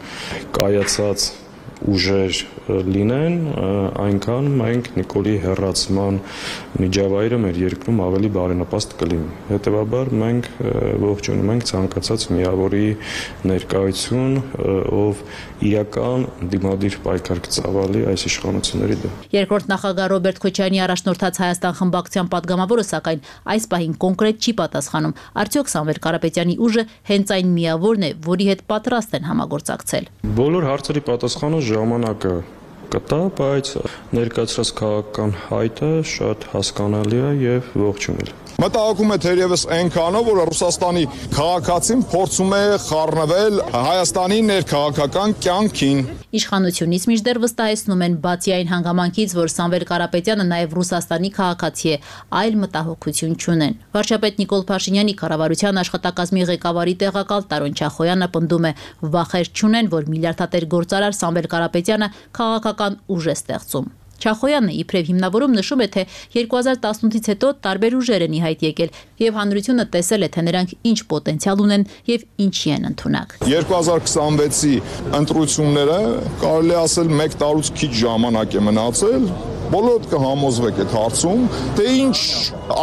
կայացած ուժեր լինեն, այնքան մենք Նիկոլի հեռացման միջավայրը մեր երկրում ավելի բարենպաստ կլինի։ Հետևաբար մենք ողջունում ենք ցանկացած միավորի ներկայություն, ով իրական դիմադիր պայքար կծավալի այս իշխանությունների դեմ։ Երկրորդ նախագահ Ռոբերտ Քոչարյանի առաջնորդած Հայաստան խմբակցության падգամավորը սակայն այս պահին կոնկրետ չի պատասխանում։ Արդյոք Սամվել Կարապետյանի ուժը հենց այն միավորն է, որի հետ պատրաստ են համագործակցել։ Բոլոր հարցերի պատասխանը ժամանակը կտա, բայց ներկայացրած քաղաքական հայտը շատ հասկանալի է եւ ողջունել։ Մտահոգում է թերևս այնքանով, որ Ռուսաստանի քաղաքացին փորձում է խառնվել Հայաստանի ներքաղաքական կյանքին։ Իշխանությունից մինչդեռ վստահեցնում են, բացի այն հանգամանքից, որ Սամվել Կարապետյանը նաև Ռուսաստանի քաղաքացի է, այլ մտահոգություն չունեն։ Վարչապետ Նիկոլ Փաշինյանի կառավարության աշխատակազմի ղեկավարի տեղակալ Տարոն Չախոյանը պնդում է, վախեր չունեն, որ միլիարդատեր գործարար Սամվել Կարապետյանը քաղաքական ուժ է ստեղծում։ Չախոյանը իբրև հիմնավորում նշում է, թե 2018-ից հետո տարբեր ուժեր են ի հայտ եկել եւ հանրությունը տեսել է, թե նրանք ինչ պոտենցիալ ունեն եւ ինչի են ընդունակ։ 2026-ի ընտրությունները կարելի է ասել 1 տարուց քիչ ժամանակ է մնացել։ Բոլորդ կհամոզվեք այդ հարցում, թե ինչ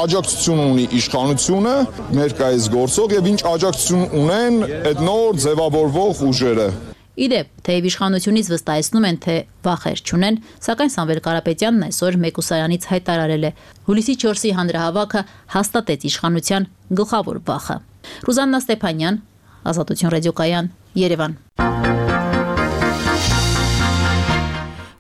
աջակցություն ունի իշխանությունը ներկայիս գործող եւ ինչ աջակցություն ունեն այդ նոր ձևավորվող ուժերը։ Իդեպ, թեև իշխանությունից վստահեցնում են, թե վախեր չունեն, սակայն Սամվել Կարապետյանն այսօր մեկուսարանից հայտարարել է. հուլիսի 4-ի հանրահավաքը հաստատեց իշխանության գլխավոր վախը։ Ռուզաննա Ստեփանյան, Ազատություն ռադիոկայան, Երևան։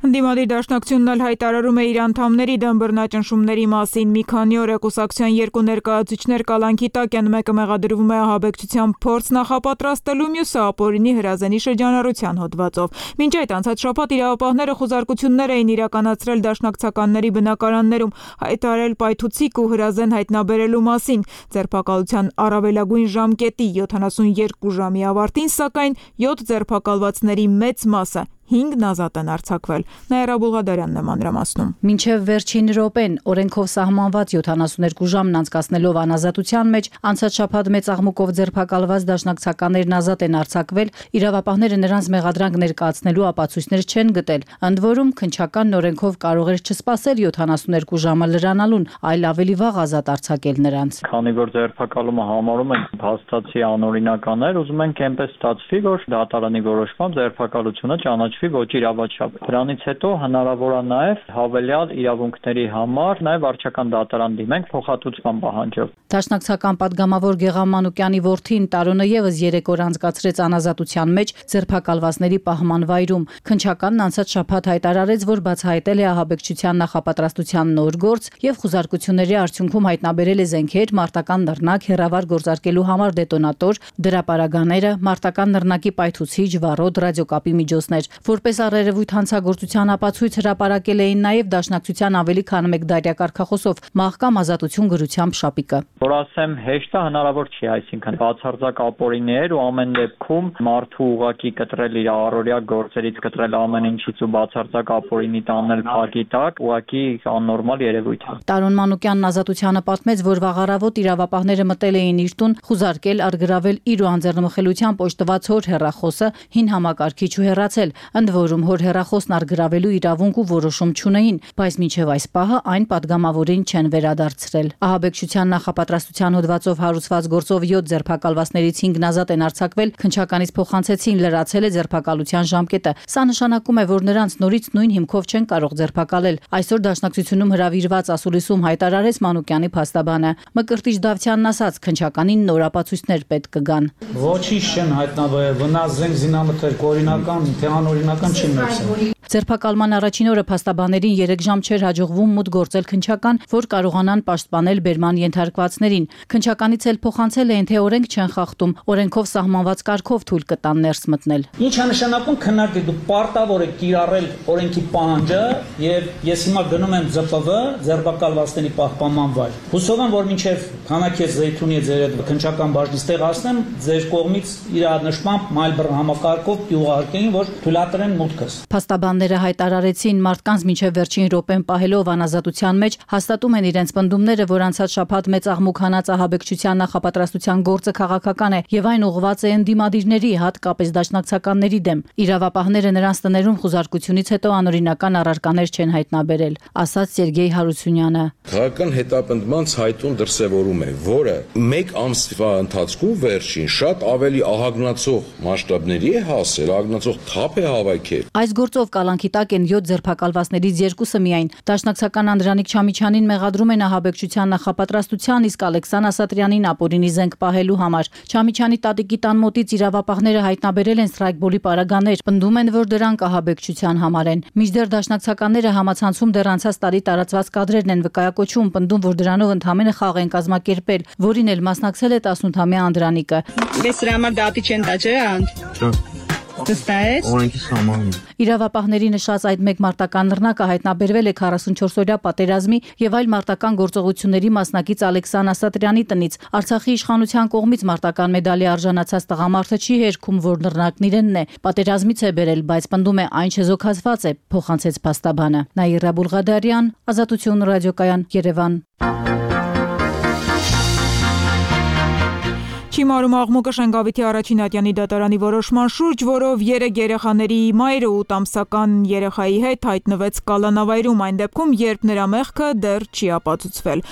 Ընդդիմադիր դաշնակցությունն էլ հայտարարում է իր անդամների դեմ բռնաճնշումների մասին։ Մի քանի օր է կուսակցության երկու ներկայացուցիչներ կալանքի տակ են, մեկը մեղադրվում է ահաբեկչության փորձ նախապատրաստելու, մյուսը ապօրինի հրազենի շրջանառության հոդվածով։ Մինչ այդ անցած շաբաթ իրավապահները խոզարկություններ էին իրականացրել դաշնակցականների բնակարաններում, հայտարարել պայթուցիկ ու հրազեն հայտնաբերելու մասին։ Ձերբակալության առավելագույն ժամկետի 72 ժամի ավարտին, սակայն 7 ձերբակալվածների մեծ մասը 5 ազատ են արձակվել։ Նաիրա Բուլղադարյանն է մանրամասնում։ Մինչև վերջին րոպեն օրենքով սահմանված 72 ժամն անցկացնելով անազատության մեջ, անցած շաբաթ մեծ աղմուկով ձերբակալված դաշնակցականներն ազատ են արձակվել, իրավապահները նրանց մեղադրանք ներկայացնելու ապացույցներ չեն գտել։ Ընդ որում, քննչականն օրենքով կարող էր չսպասել 72 ժամը լրանալուն, այլ ավելի վաղ ազատ արձակել նրանց։ Քանի որ ձերբակալումը համարում են փաստացի անօրինականներ, ուզում ենք այնպես ստացվի, որ դատարանի որոշմամբ ձերբակալությունը ճանաչվի ոչ իրավաչափ։ Դրանից հետո հնարավոր է նաև հավելյալ իրավունքների համար նաև վարչական դատարան դիմենք փոխհատուցման պահանջով։ Դաշնակցական падգամավոր Գեղամ Մանուկյանի որդին Տարոնը եւս 3 օր անցկացրեց անազատության մեջ ձերբակալվածների պահման վայրում։ Քննչականն անցած շաբաթ հայտարարեց, որ բացահայտել է ահաբեկչության նախապատրաստության նոր գործ եւ խոզարկությունների արդյունքում հայտնաբերել է զենքեր, մարտական նռնակ, հեռավար գործարկելու համար դետոնատոր, դրապարագաները, մարտական նռնակի պայթուցիչ, վառոդ, ռադիոկապի միջոցներ։ Որպես առերևույթ հանցագործության ապացույց հրապարակել էին նաև Դաշնակցության ավելի քան 1 դարյա կարգախոսով մահկամ ազատություն գրությամբ շապիկը։ Որ ասեմ, հեշտ է հնարավոր չի, այսինքն բացարձակ ապօրիններ ու ամեն դեպքում մարդու ուղակի կտրել իր առօրյա գործերից, կտրել ամեն ինչից ու բացարձակ ապօրինի տանել փակի տակ, ուղակի աննորմալ երևույթ է։ Տարոն Մանուկյանն Ազատությանը պատմեց, որ վաղ առավոտ իրավապահները մտել էին իր տուն, խուզարկել, արգրավել իր ու անձեռնմխելիությամբ օժտված հոր հեռախոսը, հին համակարգիչ ու հեռացել, ընդ որում հոր հեռախոսն արգրավելու իրավունք ու որոշում չունեին, բայց մինչև այս պահը այն падգամավորին չեն վերադարձրել։ Ահաբեկչության նախապատրաստության հոդվածով հարուցված գործով 7 ձերբակալվածներից 5-ն ազատ են արձակվել, քննչականից փոխանցեցին, լրացել է ձերբակալության ժամկետը։ Սա նշանակում է, որ նրանց նորից նույն հիմքով չեն կարող ձերբակալել։ Այսօր Դաշնակցությունում հրավիրված ասուլիսում հայտարարեց Մանուկյանի փաստաբանը։ Մկրտիչ Դավթյանն ասաց, քննչականին նոր ապացույցներ պետք կգան։ Ոչինչ չեն հայտնաբերել, վնաս զենք զինամթերք օրինական, թե անօրինական չի մերձել։ Ձերբակալման առաջին օրը փաստաբաներին 3 ժամ չէր հաջողվում մուտք գործել քննչական, որ կարողանան պաշտպանել բերման ենթարկվածներին։ Քննչականից էլ փոխանցել էին, թե օրենք չեն խախտում, օրենքով սահմանված կարգով թույլ կտան ներս մտնել։ Ինչ է նշանակում քննարկել, դու պարտավոր եք կիրառել օրենքի պահանջը, եւ ես հիմա գնում եմ ԶՊՎ, ձերբակալվածների պահպանման վայր։ Հուսով եմ, որ մինչև քանակես Զեյթունի ձեր այդ քննչական բաժնի ստեղացնեմ, ձեր կողմից իրադարձությամբ մայլբր համակարգով ուղարկեին, որ թույլատրեն մուտքս։ Փաստաբանները հայտարարեցին, մարդկանց մինչև վերջին րոպեն պահելով անազատության մեջ հաստատում են իրենց պնդումները, որ անցած շաբաթ մեծ աղմուկ հանած ահաբեկչության նախապատրաստության գործը քաղաքական է եւ այն ուղղված է ընդդիմադիրների, հատկապես դաշնակցականների դեմ։ Իրավապահները նրանց տներում խուզարկությունից հետո անօրինական առարկաներ չեն հայտնաբերել, ասաց Սերգեյ Հարությունյանը։ Քաղաքական հետապնդման ցայտուն դրսևորում է, որը 1 ամսվա ընթացքում վերջին շատ ավելի ահագնացող մասշտաբների է հասել, ահագնացող թափ է հավաքել։ Այս գործով կալանքի տակ են 7 ձերբակալվածներից 2-ը միայն։ Դաշնակցական Անդրանիկ Չամիչյանին մեղադրում են ահաբեկչության նախապատրաստության, իսկ Ալեքսան Ասատրյանին ապօրինի զենք պահելու համար։ Չամիչյանի տատիկի տան մոտից իրավապահները հայտնաբերել են սթրայքբոլի պարագաներ, պնդում են, որ դրանք ահաբեկչության համար են։ Մինչդեռ դաշնակցականները համացանցում դեռ անցած տարի տարածված կադրերն են վկայակոչում, պնդում, որ դրանով ընդհանրապես խաղ են կազմակերպել, որին էլ մասնակցել է 18-ամյա Անդրանիկը։ Ես դրա համար դատի չեն տա, չէ՞։ Օրենքի սահմանին։ Իրավապահների նշած այդ մեկ մարտական նռնակը հայտնաբերվել է 44-օրյա պատերազմի եւ այլ մարտական գործողությունների մասնակից Ալեքսան Ասատրյանի տնից։ Արցախի իշխանության կողմից մարտական մեդալի արժանացած տղամարդը չի հերքում, որ նռնակն իրենն է։ Պատերազմից է բերել, բայց պնդում է այն չեզոքացված է, փոխանցեց փաստաբանը։ Նաիրա Բուլղադարյան, Ազատություն ռադիոկայան, Երևան։ Չիմարում աղմուկը Շենգավիթի առաջին ատյանի դատարանի որոշման շուրջ, որով 3 երեխաների մայրը 8 ամսական երեխայի հետ հայտնվեց կալանավայրում, այն դեպքում, երբ նրա մեղքը դեռ չի ապացուցվել։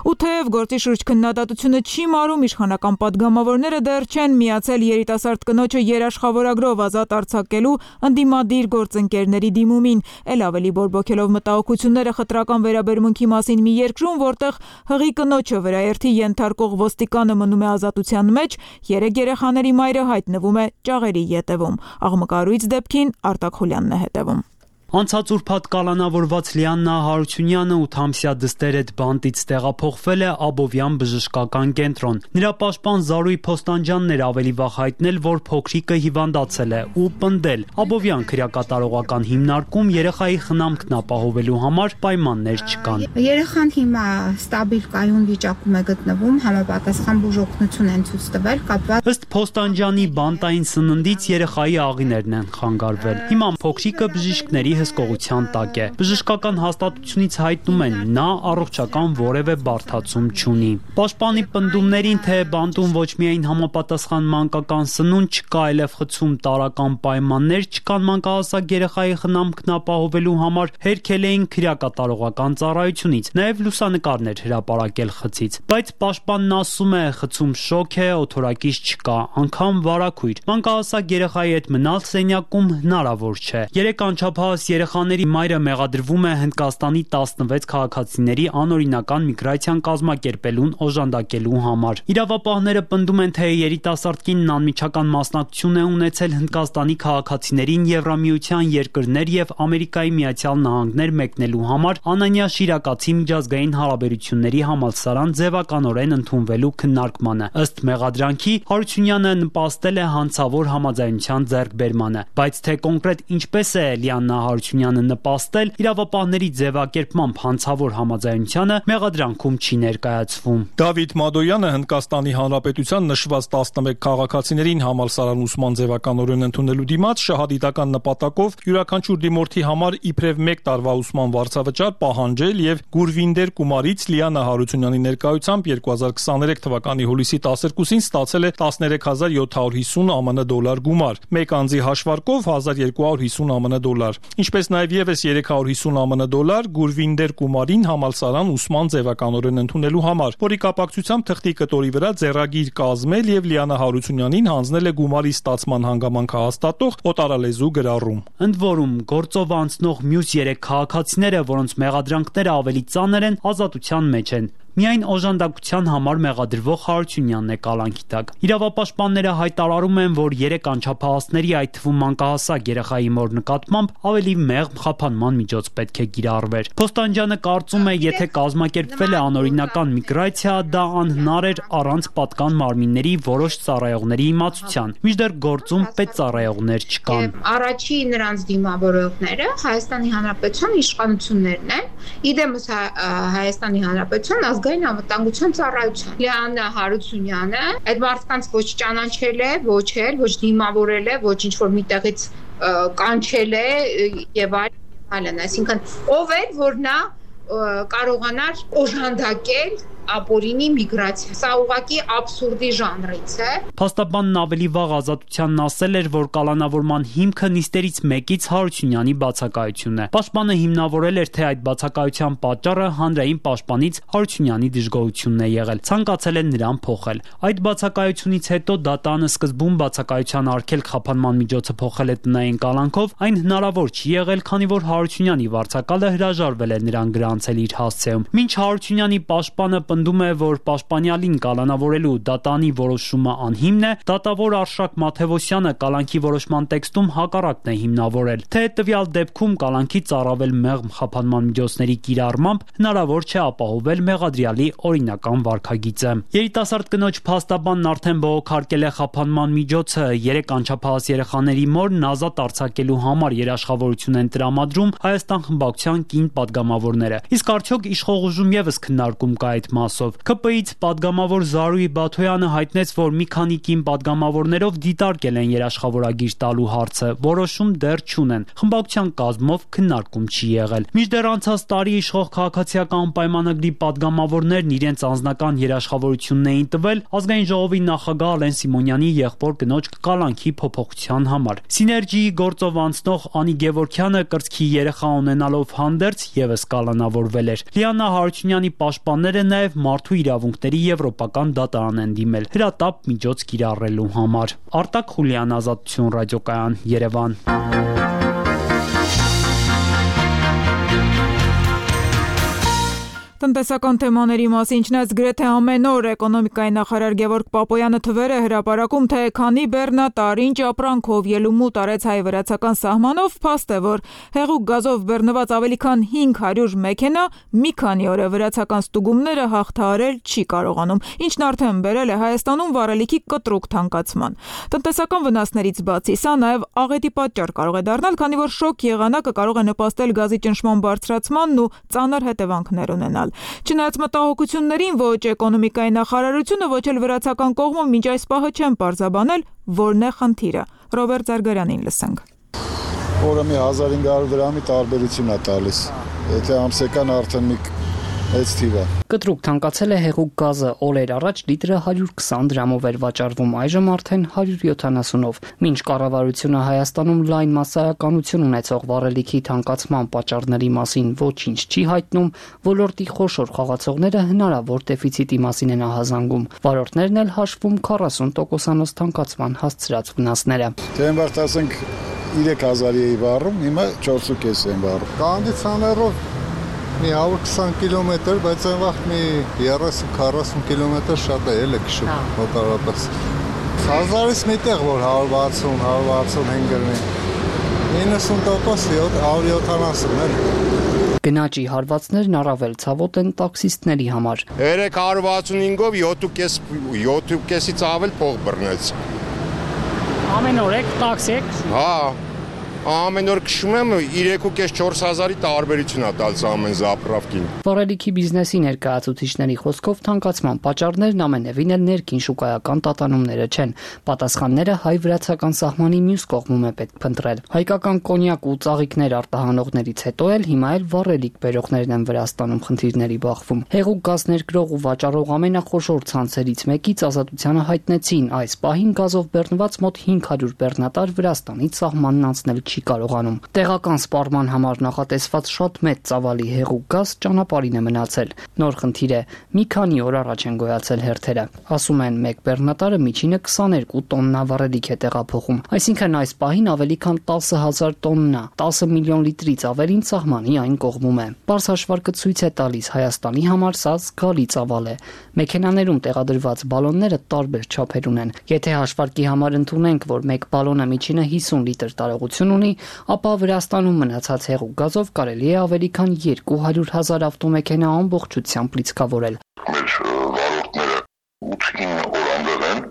Ու թեև գործի շուրջ քննադատությունը չիմարում, իշխանական падգամավորները դեռ չեն միացել երիտասարդ կնոջը երաշխավորագրով ազատ արձակելու ընդդիմադիր գործընկերների դիմումին, էլ ավելի բորբոքելով մտահոգությունները խտրական վերաբերմունքի մասին մի երկրում, որտեղ հղի կնոջը վրաերթի ենթարկող ոստիկանը մնում է ազատության մեջ, 3 երեխաների մայրը հայտնվում է ճաղերի ետևում։ Աղմկարույց դեպքին Արտակ Խուլյանն է հետևում։ Անցած ուրբաթ կալանավորված Լիաննա Հարությունյանը 8-ամսյա դստեր այդ բանտից տեղափոխվել է Աբովյան բժշկական կենտրոն։ Նրա պաշտպան Զարուհի Փոստանջյանն էր ավելի վաղ հայտնել, որ փոքրիկը հիվանդացել է ու պնդել Աբովյան քրեակատարողական հիմնարկում երեխայի խնամքն ապահովելու համար պայմաններ չկան։ Երեխան հիմա ստաբիլ կայուն վիճակում է գտնվում, համապատասխան բուժօգնություն են ցույց տվել կապված։ Ըստ Փոստանջյանի բանտային սննդից երեխայի աղիներն են խանգարվել։ Հիմա փոքրիկը բժիշկների հսկողության տակ է։ Բժշկական հաստատությունից հայտնում են, նա առողջական որևէ բարդացում չունի։ Պաշտպանի պնդումներին, թե բանտում ոչ միայն համապատասխան մանկական սնունդ չկա, այլև խցում տարրական պայմաններ չկան մանկահասակ երեխայի խնամքն ապահովելու համար, հերքել էին քրեակատարողական ծառայությունից, նաև լուսանկարներ հրապարակել խցից։ Բայց պաշտպանն ասում է, խցում շոկ է, օթորակից չկա, անգամ վարակույր։ Մանկահասակ երեխայի հետ մնալ սենյակում հնարավոր չէ։ 3 անչափահաս երեխաների մայրը մեղադրվում է Հնդկաստանի 16 քաղաքացիների անօրինական միգրացիան կազմակերպելուն օժանդակելու համար։ Իրավապահները պնդում են, թե երիտասարդ կինն անմիջական մասնակցություն է ունեցել Հնդկաստանի քաղաքացիներին Եվրամիության երկրներ եւ Ամերիկայի Միացյալ Նահանգներ մեկնելու համար Անանյա Շիրակացի միջազգային հարաբերությունների համալսարան ձևականորեն ընդունվելու քննարկմանը։ Ըստ մեղադրանքի Հարությունյանը նպաստել է հանցավոր համաձայնության ձեռքբերմանը, բայց թե կոնկրետ ինչպես է Լիաննա Հարությունյանը նպաստել, իրավապահների ձևակերպմամբ հանցավոր համաձայնությանը մեղադրանքում չի ներկայացվում։ Դավիթ Մադոյանը Հնդկաստանի Հանրապետության նշված 11 քաղաքացիներին համալսարան ուսման ձևականորեն ընդունելու դիմաց շահադիտական նպատակով յուրաքանչյուր դիմորդի համար իբրև 1 տարվա ուսման վարձավճար պահանջել եւ Գուրվինդեր Կումարից Լիաննա Հարությունյանի ներկայությամբ 2023 թվականի հուլիսի 12-ին ստացել է 13750 ԱՄՆ դոլար գումար, 1 անձի հաշվարկով 1250 ԱՄՆ դոլար, ինչպես նաեւ եւս 350 ԱՄՆ դոլար Գուրվինդեր Կումարին համալսարան ուսման ձևականորեն ընդունելու համար, որի կապակցությամբ թղթի կտորի վրա ձեռագիր կազմել եւ Լիաննա Հարությունյանին հանձնել է գումարի ստացման հանգամանքը հաստատող օտարալեզու գրառում։ Ընդ որում, գործով անցնող մյուս 3 քաղաքացիները, որոնց մեղադրանքները ավելի ծանր են, ազատության մեջ են։ Միայն օժանդակության համար մեղադրվող Հարությունյանն է կալանքի տակ։ Իրավապաշտպանները հայտարարում են, որ 3 անչափահասների, այդ թվում մանկահասակ երեխայի մոր նկատմամբ ավելի մեղմ խափանման միջոց պետք է կիրառվեր։ Փոստանջյանը կարծում է, եթե կազմակերպվել է անօրինական միգրացիա, դա անհնար էր առանց պատկան մարմինների որոշ ծառայողների իմացության, մինչդեռ գործում պետծառայողներ չկան։ Առաջի նրանց դիմավորողները Հայաստանի Հանրապետության իշխանություններն են, իդեմս Հայաստանի Հանրապետության ազգային անվտանգության ծառայության։ Լիաննա Հարությունյանը այդ մարդկանց ոչ ճանաչել է, ոչ դիմավորել է, ոչ ինչ-որ միտեղից կանչել է եւ այլն, այսինքն ով էր, որ նա կարողանար օժանդակել ապօրինի միգրացիա։ Սա ուղղակի աբսուրդի ժանրից է։ Փաստաբանն ավելի վաղ ազատությանն ասել էր, որ կալանավորման հիմքը նիստերից մեկից Հարությունյանի բացակայությունն է։ Պաշտպանը հիմնավորել էր, թե այդ բացակայության պատճառը հանրային պաշտպանից Հարությունյանի դժգոհությունն է եղել, ցանկացել են նրան փոխել։ Այդ բացակայությունից հետո դատանը սկզբում բացակայության արգելք խափանման միջոցը փոխել է տնային կալանքով, այն հնարավոր չի եղել, քանի որ Հարությունյանի վարձակալը հրաժարվել է նրան գրանցել իր հասցեում։ Մինչ Հարությունյանի պաշտպանը պնդում է, որ պաշտպանյալին կալանավորելու դատանի որոշումը անհիմն է, դատավոր Արշակ Մաթևոսյանը կալանքի որոշման տեքստում հակառակն է հիմնավորել, թե տվյալ դեպքում կալանքի ծառավել մեղմ խափանման միջոցների կիրառմամբ հնարավոր չէ ապահովել մեղադրյալի օրինական վարքագիծը։ Երիտասարդ կնոջ փաստաբանն արդեն բողոքարկել է խափանման միջոցը 3 անչափահաս երեխաների մորն ազատ արձակելու համար երաշխավորություն են տրամադրում Հայաստան խմբակցության կին падգամավորները։ Իսկ արդյոք իշխող ուժում եւս քննարկում կա այդ մասով։ ԿՊ-ից падգամավոր Զարուհի Բաթոյանը հայտնեց, որ մի քանի կին падգամավորներով դիտարկել են երաշխավորագիր տալու հարցը, որոշում դեռ չունեն։ Խմբակցության կազմով քննարկում չի եղել։ Մինչդեռ անցած տարի իշխող քաղաքացիական պայմանագրի падգամավորներն իրենց անձնական երաշխավորությունն էին տվել ազգային ժողովի նախագահ Ալեն Սիմոնյանի եղբոր կնոջ կալանքի փոփոխության համար։ Սիներգիի գործով անցնող Անի Գևորգյանը կրծքի երեխա ունենալով հանդերձ եւս կալանավորվել էր։ Լիաննա Հարությունյանի պաշտպանները նաև մարդու իրավունքների եվրոպական դատարան են դիմել հրատապ միջոց կիրառելու համար։ Արտակ Խուլյան, Ազատություն ռադիոկայան, Երևան։ Տնտեսական թեմաների մասին չնայած գրեթե ամեն օր էկոնոմիկայի նախարար Գևորգ Պապոյանը թվեր է հրապարակում, թե քանի բեռնատար ինչ ապրանքով ելումուտ արեց հայ-վրացական սահմանով, փաստ է, որ հեղուկ գազով բեռնված ավելի քան 500 մեքենա մի քանի օր է վրացական ստուգումները հաղթահարել չի կարողանում, ինչն արդեն բերել է Հայաստանում վառելիքի կտրուկ թանկացման։ Տնտեսական վնասներից բացի, սա նաև աղետի պատճառ կարող է դառնալ, քանի որ շոկ եղանակը կարող է նպաստել գազի ճնշման բարձրացմանն ու ծանր հետևանքներ ունենալ։ Չնայած մտահոգություններին, ոչ էկոնոմիկայի նախարարությունը, ոչ էլ վրացական կողմը մինչ այս պահը չեն պարզաբանել, որն է խնդիրը։ Ռոբերտ Զարգարյանին լսենք։ Որը մի 1500 դրամի տարբերություն է տալիս։ Եթե ամսական արդեն մի Այս թիվը կտրուկ թանկացել է հեղուկ գազը, օրեր առաջ լիտրը 120 դրամով էր վաճառվում, այժմ արդեն 170-ով։ Մինչ կառավարությունը Հայաստանում լայն մասսայականություն ունեցող վառելիքի թանկացման պատճառների մասին ոչինչ չի հայտնում, ոլորտի խոշոր խաղացողները հնարավոր դեֆիցիտի մասին են ահազանգում։ Վարորդներն էլ հաշվում 40%-անոց թանկացման հասցրած վնասները։ Դե ասենք 3000 էի վառում, հիմա 4.5 եմ վառում։ Կոնդիցիոներով մի 120 կիլոմետր, բայց այն վաղ մի 30-40 կիլոմետր շատ է ելը քշում մոտավորապես։ 1000-ից մի տեղ, որ 160-165 գրնի, 90% 170 էր։ Գնաճի հարվածներն առավել ցավոտ են տաքսիստների համար։ 365-ով 7.5-ից ավել փող բռնեց։ Ամեն օր եք տաքսի եք։ Հա, ամեն օր քշում եմ 3.5-4000-ի տարբերություն է տալիս ամեն զապրավկին։ Վառելիքի բիզնեսի ներկայացուցիչների խոսքով թանկացման պատճառներն ամենևին էլ ներքին շուկայական տատանումները չեն։ Պատասխանները հայ-վրացական սահմանի մյուս կողմում է պետք փնտրել։ Հայկական կոնյակ ու ծաղիկներ արտահանողներից հետո էլ հիմա էլ վառելիք բերողներն են Վրաստանում խնդիրների բախվում։ Հեղուկ գազ ներկրող ու վաճառող ամենախոշոր ցանցերից մեկից Ազատությանը հայտնեցին այս պահին գազով բեռնված մոտ 500 բեռնատար Վրաստանից սահմանն անցնել չի կարողանում։ Տեղական սպառման համար նախատեսված շատ մեծ ծավալի հեղուկ գազ ճանապարհին է մնացել։ Նոր խնդիր է, մի քանի օր առաջ են գոյացել հերթերը։ Ասում են, մեկ բեռնատարը միջինը 22 տոննա վառելիք է տեղափոխում, այսինքն այս պահին ավելի քան 10000 տոննա, 10 միլիոն լիտրից ավելին սահմանի այն կողմում է։ Պարզ հաշվարկը ցույց է տալիս Հայաստանի համար սա զգալի ծավալ է։ Մեքենաներում տեղադրված բալոնները տարբեր չափեր ունեն։ Եթե հաշվարկի համար ընդունենք, որ մեկ բալոնը միջինը 50 լիտր տարողություն ունի, ապա Վրաստանում մնացած հեղուկ գազով կարելի է ավելի քան 200,000 ավտոմեքենա ամբողջությամբ լիցքավորել։ Մեր վարորդները 8-9 օր անձամբ են,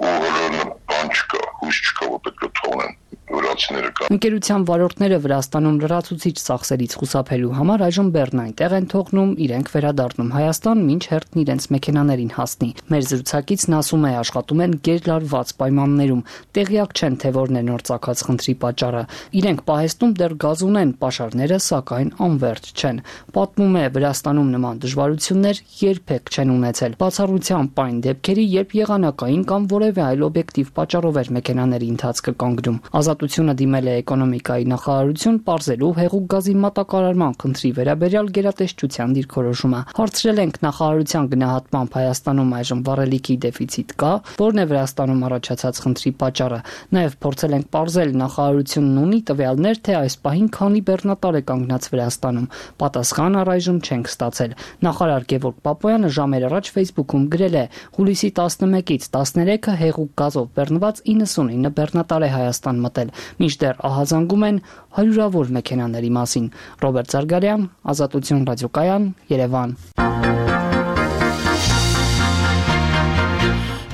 ու բան չկա, հույս չկա, որ պետք է թողնեն վրացիները կան։ Ընկերության վարորդները Վրաստանում լրացուցիչ ծախսերից խուսափելու համար այժմ բեռն այնտեղ են թողնում, իրենք վերադառնում Հայաստան, մինչ հերթն իրենց մեքենաներին հասնի։ Մեր զրուցակիցն ասում է, աշխատում են գերլարված պայմաններում, տեղյակ չեն, թե որն է նոր ծագած խնդրի պատճառը։ Իրենք պահեստում դեռ գազ ունեն, պաշարները սակայն անվերջ չեն։ Պատմում է, Վրաստանում նման դժվարություններ երբեք չեն ունեցել։ Բացառությամբ այն դեպքերի, երբ եղանակային կամ որևէ այլ օբյեկտիվ պատճառով էր մեքենաների ընթացքը կանգնում։ Ազատությունը դիմել է էկոնոմիկայի նախարարություն պարզելու հեղուկ գազի մատակարարման խնդրի վերաբերյալ գերատեսչության դիրքորոշումը։ Հարցրել ենք նախարարության գնահատմամբ Հայաստանում այժմ վառելիքի դեֆիցիտ կա, որն է Վրաստանում առաջացած խնդրի պատճառը։ Նաև փորձել ենք պարզել նախարարությունն ունի տվյալներ, թե այս պահին քանի բեռնատար է կանգնած Վրաստանում։ Պատասխան առայժմ չենք ստացել։ Նախարար Գևորգ Պապոյանը ժամեր առաջ Facebook-ում գրել է. հուլիսի 11-ից 13-ը հեղուկ գազով բեռնված 99 բեռնատար է Հայաստան մտել, մինչդեռ ահազանգում են հարյուրավոր մեքենաների մասին։ Ռոբերտ Զարգարյան, Ազատություն ռադիոկայան, Երևան։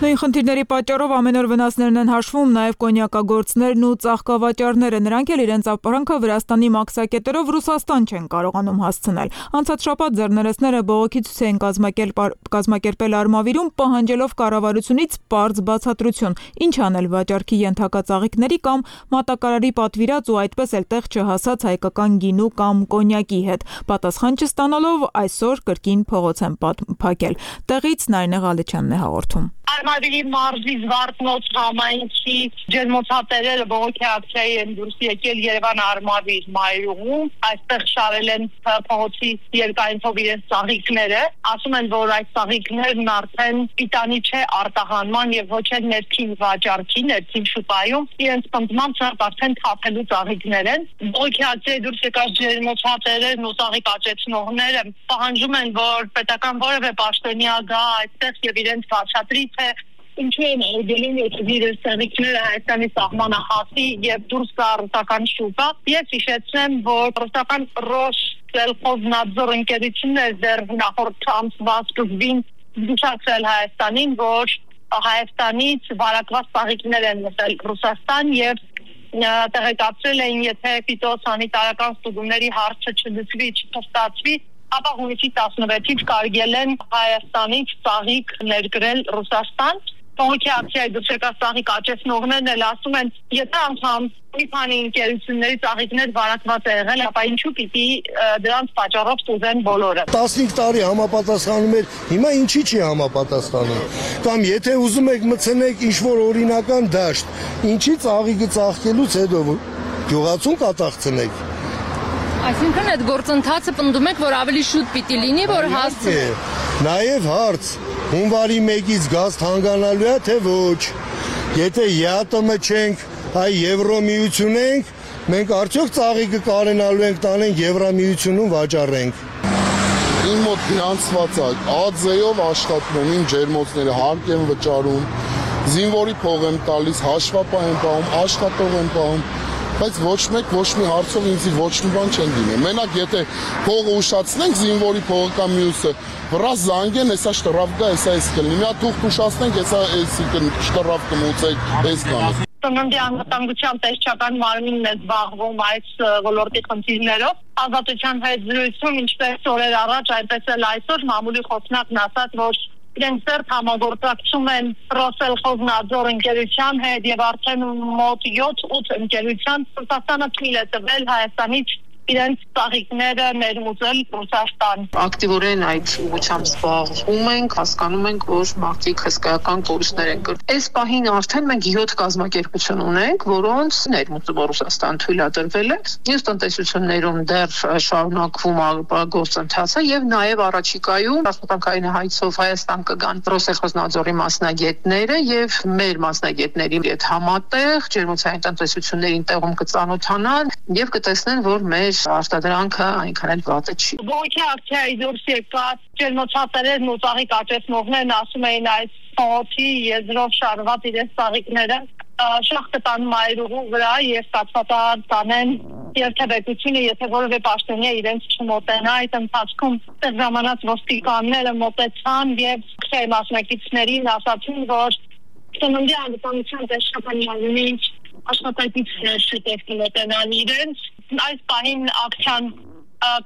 Նույն խնդիրների պատճառով ամեն օր վնասներն են հաշվում նաև կոնյակագործներն ու ծաղկավաճառները, նրանք էլ իրենց ապրանքը Վրաստանի մաքսակետերով Ռուսաստան չեն կարողանում հասցնել։ Անցած շաբաթ ձեռներեցները բողոքի ցույց էին կազմակերպել Արմավիրում, պահանջելով կառավարությունից պարզ բացատրություն, ինչ անել վաճառքի ենթակա ծաղիկների կամ մատակարարի պատվիրած ու այդպես էլ տեղ չհասած հայկական գինու կամ կոնյակի հետ։ Պատասխան չստանալով այսօր կրկին փողոց են փակել։ Տեղից Նարինե Ղալեչյանն է հաղորդում։ Արմավիրի մարզի Զվարթնոց համայնքի ջերմոցատերերը բողոքի ակցիայի են դուրս եկել Երևան Արմավիր մայրուղում, այստեղ շարել են փողոցի երկայնքով իրենց ծաղիկները, ասում են, որ այս ծաղիկներն արդեն պիտանի չէ արտահանման եւ ոչ էլ ներքին վաճառքի, ներքին շուկայում, իրենց պնդմամբ շատ արդեն թափելու ծաղիկներ են։ Բողոքի ակցիայի դուրս եկած ջերմոցատերերն ու ծաղիկ աճեցնողները պահանջում են, որ պետական որևէ պաշտոնյա գա այստեղ եւ իրենց բացատրի, թե ինչու են արգելում իրենց ծաղիկները Հայաստանի սահմանը հասի եւ դուրս գա ռուսական շուկա։ Ես հիշեցնեմ, որ ռուսական Ռոսսելխոզնadzor ընկերությունն է դեռ նախորդ ամսվա սկզբին զգուշացրել Հայաստանին, որ Հայաստանից վարակված ծաղիկներ են մտել Ռուսաստան եւ տեղեկացրել էին, եթե ֆիտոսանիտարական ստուգումների հարցը չլուծվի, չփաստացվի, ապա հունիսի 16-ից կարելի են Հայաստանից ծաղիկ ներկրել Ռուսաստան։ Բողոքի ակցիայի դուրս եկած ծաղիկ աճեցնողներն էլ ասում են, եթե անգամ մի քանի ընկերությունների ծաղիկներ վարակված է եղել, ապա ինչու պիտի դրանց պատճառով ստուգեն բոլորը։ 15 տարի համապատասխանում էր, հիմա ինչի չի համապատասխանում։ Կամ եթե ուզում եք մտցնեք ինչ-որ օրինական դաշտ, ինչի ծաղիկը ծաղկելուց հետո գյուղացուն կատաղցնեք։ Այսինքն այդ գործընթացը պնդում եք, որ ավելի շուտ պիտի լինի, որ հասցնի։ Նաև հարց, հունվարի 1-ից գազ հանգանալու է, թե ոչ։ Եթե ԵԱՏՄ չենք, այ Եվրոմիություն ենք, մենք արդյոք ծաղիկը կարենալու ենք տանենք Եվրոմիությունում վաճառենք։ Իմ մոտ գրանցված է ԱԶ-ով աշխատում եմ, իմ ջերմոցները հարկ եմ վճարում, զինվորի փող եմ տալիս, հաշվապահ եմ պահում, աշխատող եմ պահում, բայց ոչ մեկ ոչ մի հարցով ինձ ոչ մի բան չեն դիմել։ Մենակ եթե փողը ուշացնենք, զինվորի փողը կամ մյուսը, վրա զանգեն, հեսա շտրաֆ գա, հեսա էս կլինի։ Մի հատ թուղթ ուշացնենք, հեսա էսի շտրաֆ կմուծեք, էս կանի։ Ծննդի անվտանգության տեսչական մարմինն է զբաղվում այս ոլորտի խնդիրներով։ Ազատության հետ զրույցում ինչպես օրեր առաջ, այնպես էլ այսօր մամուլի խոսնակն ասաց, որ իրենք ծերտ համագործակցում են Ռոսելխոզնաձոր ընկերության հետ եւ արդեն մոտ 7-8 ընկերության Ռուսաստանը թույլ է տվել Հայաստանից իրենց ծաղիկները ներմուծել Ռուսաստան։ Ակտիվորեն այդ ուղղությամբ զբաղվում ենք, հասկանում ենք, որ մարդիկ հսկայական կորուստներ են կրել։ Այս պահին արդեն մենք 7 կազմակերպություն ունենք, որոնց ներմուծումը Ռուսաստան թույլատրվել է։ Մյուս տնտեսություններում դեռ շարունակվում է գործընթացը եւ նաեւ առաջիկայում աշխատանքային հայցով Հայաստան կգան Ռոսելխոզնաձորի մասնագետները եւ մեր մասնագետների հետ համատեղ ջերմոցային տնտեսություններին տեղում կծանոթանան եւ կտեսնեն, որ մեր արտադրանքը այնքան էլ վատը չի։ Բողոքի ակցիայի դուրս եկած ջերմոցատերերն ու ծաղիկ աճեցնողներն ասում էին այս փողոցի եզրով շարված իրենց ծաղիկները շահ կտան մայրուղու վրա եւ ստացվածան տանեն երթևեկությունը, եթե որևէ պաշտոնյա իրենց չմոտենա, այդ ընթացքում ժամանակ ոստիկանները մոտեցան եւ քրեի մասնակիցներին ասացին, որ ծննդի անվտանգության տեսչական մարմինի աշխատակիցներ շուտով կմոտենան իրենց։ Այս պահին ակցիան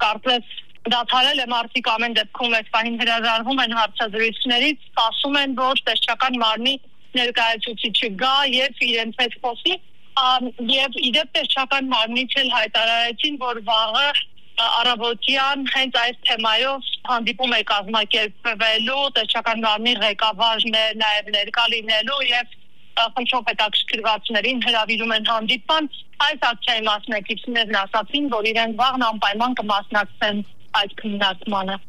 կարծես դադարել է, մարդիկ ամեն դեպքում այս պահին հրաժարվում են հարցազրույցներից, ասում են, որ տեսչական մարմնի ներկայացուցիչը գա եւ իրենց հետ խոսի, եւ իդեպ տեսչական մարմնից էլ հայտարարեցին, որ վաղը առավոտյան հենց այս թեմայով հանդիպում է կազմակերպվելու, տեսչական մարմնի ղեկավարն է նաեւ ներկա լինելու եւ խնդրով հետաքրքրվածներին հրավիրում են հանդիպան։ Այս ակցիայի մասնակիցներն ասացին, որ իրենք վաղն անպայման կմասնակցեն այդ քննարկմանը։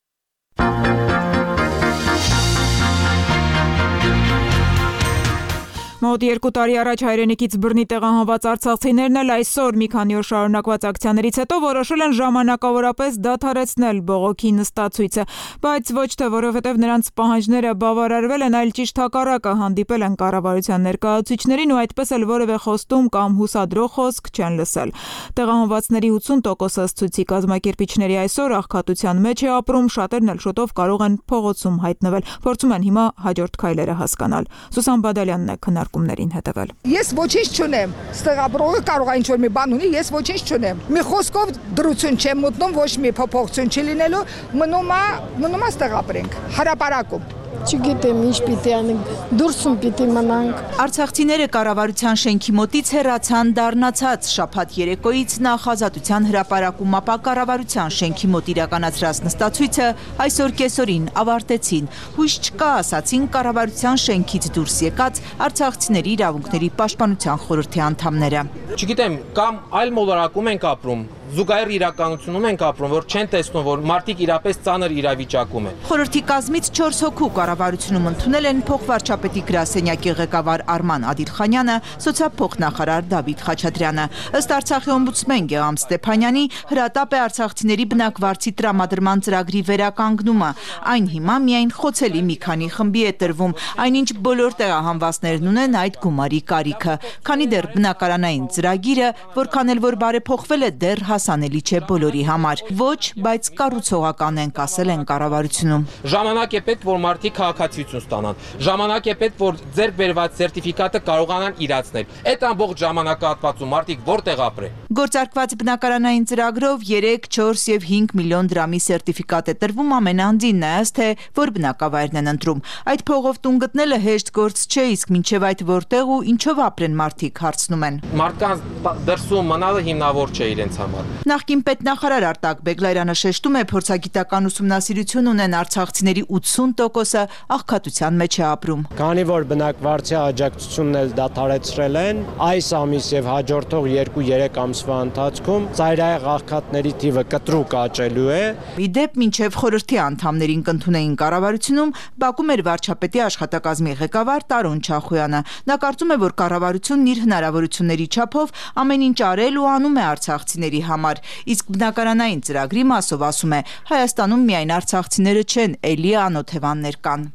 Մոտ 2 տարի առաջ հայրենիքից բռնի տեղահանված արցախցիներն էլ այսօր մի քանի օր շարունակված ակցիաներից հետո որոշել են ժամանակավորապես դադարեցնել բողոքի նստացույցը, բայց ոչ թե որովհետև նրանց պահանջները բավարարվել են, այլ ճիշտ հակառակը հանդիպել են կառավարության ներկայացուցիչներին ու այդպես էլ որևէ խոստում կամ հուսադրող խոսք չեն լսել։ Տեղահանվածների 80%-ը ցույցի կազմակերպիչների այսօր աղքատության մեջ է ապրում, շատերն էլ շուտով կարող են փողոցում հայտնվել, փորձում են հիմա հաջորդ քայլերը հասկանալ։ Սուսան Բադալյանն է քննարկումներին հետևել։ Ես ոչինչ չունեմ, ստեղաբրողը կարող է ինչ-որ մի բան ունի, ես ոչինչ չունեմ։ Մի խոսքով դրություն չեմ մտնում, ոչ մի փոփոխություն չի լինելու, մնում է ստեղաբրենք, հրապարակում։ Չգիտեմ ինչ պիտի անենք, դուրսում պիտի մնանք։ Արցախցիները կառավարության շենքի մոտից հեռացան դառնացած շաբաթ երեկոյից նախ Ազատության հրապարակում, ապա կառավարության շենքի մոտ իրականացրած նստացույցը այսօր կեսօրին ավարտեցին։ Հույս չկա, ասացին կառավարության շենքից դուրս եկած արցախցիների իրավունքների պաշտպանության խորհրդի անդամները։ Չգիտեմ, կամ այլ մոլորակում ենք ապրում, զուգահեռ իրականությունում ենք ապրում, որ չեն տեսնում, որ մարդիկ իրապես ծանր իրավիճակում են։ Խորհրդի կազմից 4 հոգու կառավարությունում ընդունել են փոխվարչապետի գրասենյակի ղեկավար Արման Ադիլխանյանը, սոցիալփոխնախարար Դավիթ Խաչատրյանը։ Ըստ Արցախի օմբուդսմեն Գեգամ Ստեփանյանի, հրատապ է արցախցիների բնակվարձի տրամադրման ծրագրի վերականգնումը։ Այն հիմա միայն խոցելի մի քանի խմբի է տրվում, այնինչ բոլոր տեղահանվածներն ունեն այդ գումարի կարիքը։ Քանի դեռ բնակարանային ծրագիրը, որքան էլ որ բարեփոխվել է, դեռ հասանելի չէ բոլորի համար։ Ոչ, բայց կառուցողական ենք, ասել են կառավարությունում։ Ժամանակ է պետք, որ մարդիկ քաղաքացիություն ստանան։ Ժամանակ է պետք, որ ձեռք բերված սերտիֆիկատը կարողանան իրացնել։ Այդ ամբողջ ժամանակահատվածում մարդիկ որտեղ ապրեն։ Գործարկված բնակարանային ծրագրով 3, 4 եւ 5 միլիոն դրամի սերտիֆիկատ է տրվում ամենանդին, նայած թե որ բնակավայրն են ընտրում։ Այդ փողով տուն գտնելը հեշտ գործ չէ, իսկ մինչեւ այդ որտեղ ու ինչով ապրեն մարդիկ, հարցնում են։ Մարդկանց դրսում մնալը հիմնավոր չէ իրենց համար։ Նախկին պետնախարար Արտակ Բեգլարյանը շեշտում է, փորձագիտական ուսումնասիրություն ունեն արցախցիների 80%-ը աղքատության մեջ է ապրում։ Քանի որ բնակվարձի աջակցությունն էլ դադարեցրել են, այս ամիս եւ հաջորդող 2-3 ամսվա ընթացքում ծայրահեղ աղքատների թիվը կտրուկ աճելու է։ Իդեպ մինչև խորհրդի անդամներին կընդունեին կառավարությունում Բաքվում էր վարչապետի աշխատակազմի ղեկավար Տարոն Չախոյանը։ Նա կարծում է, որ կառավարությունն իր հնարավորությունների չափով ամեն ինչ արել ու անում է արցախցիների համար, իսկ բնակարանային ծրագրի մասով ասում է, Հայաստանում միայն արցախցիները չեն, էլի անօթևաններ կան։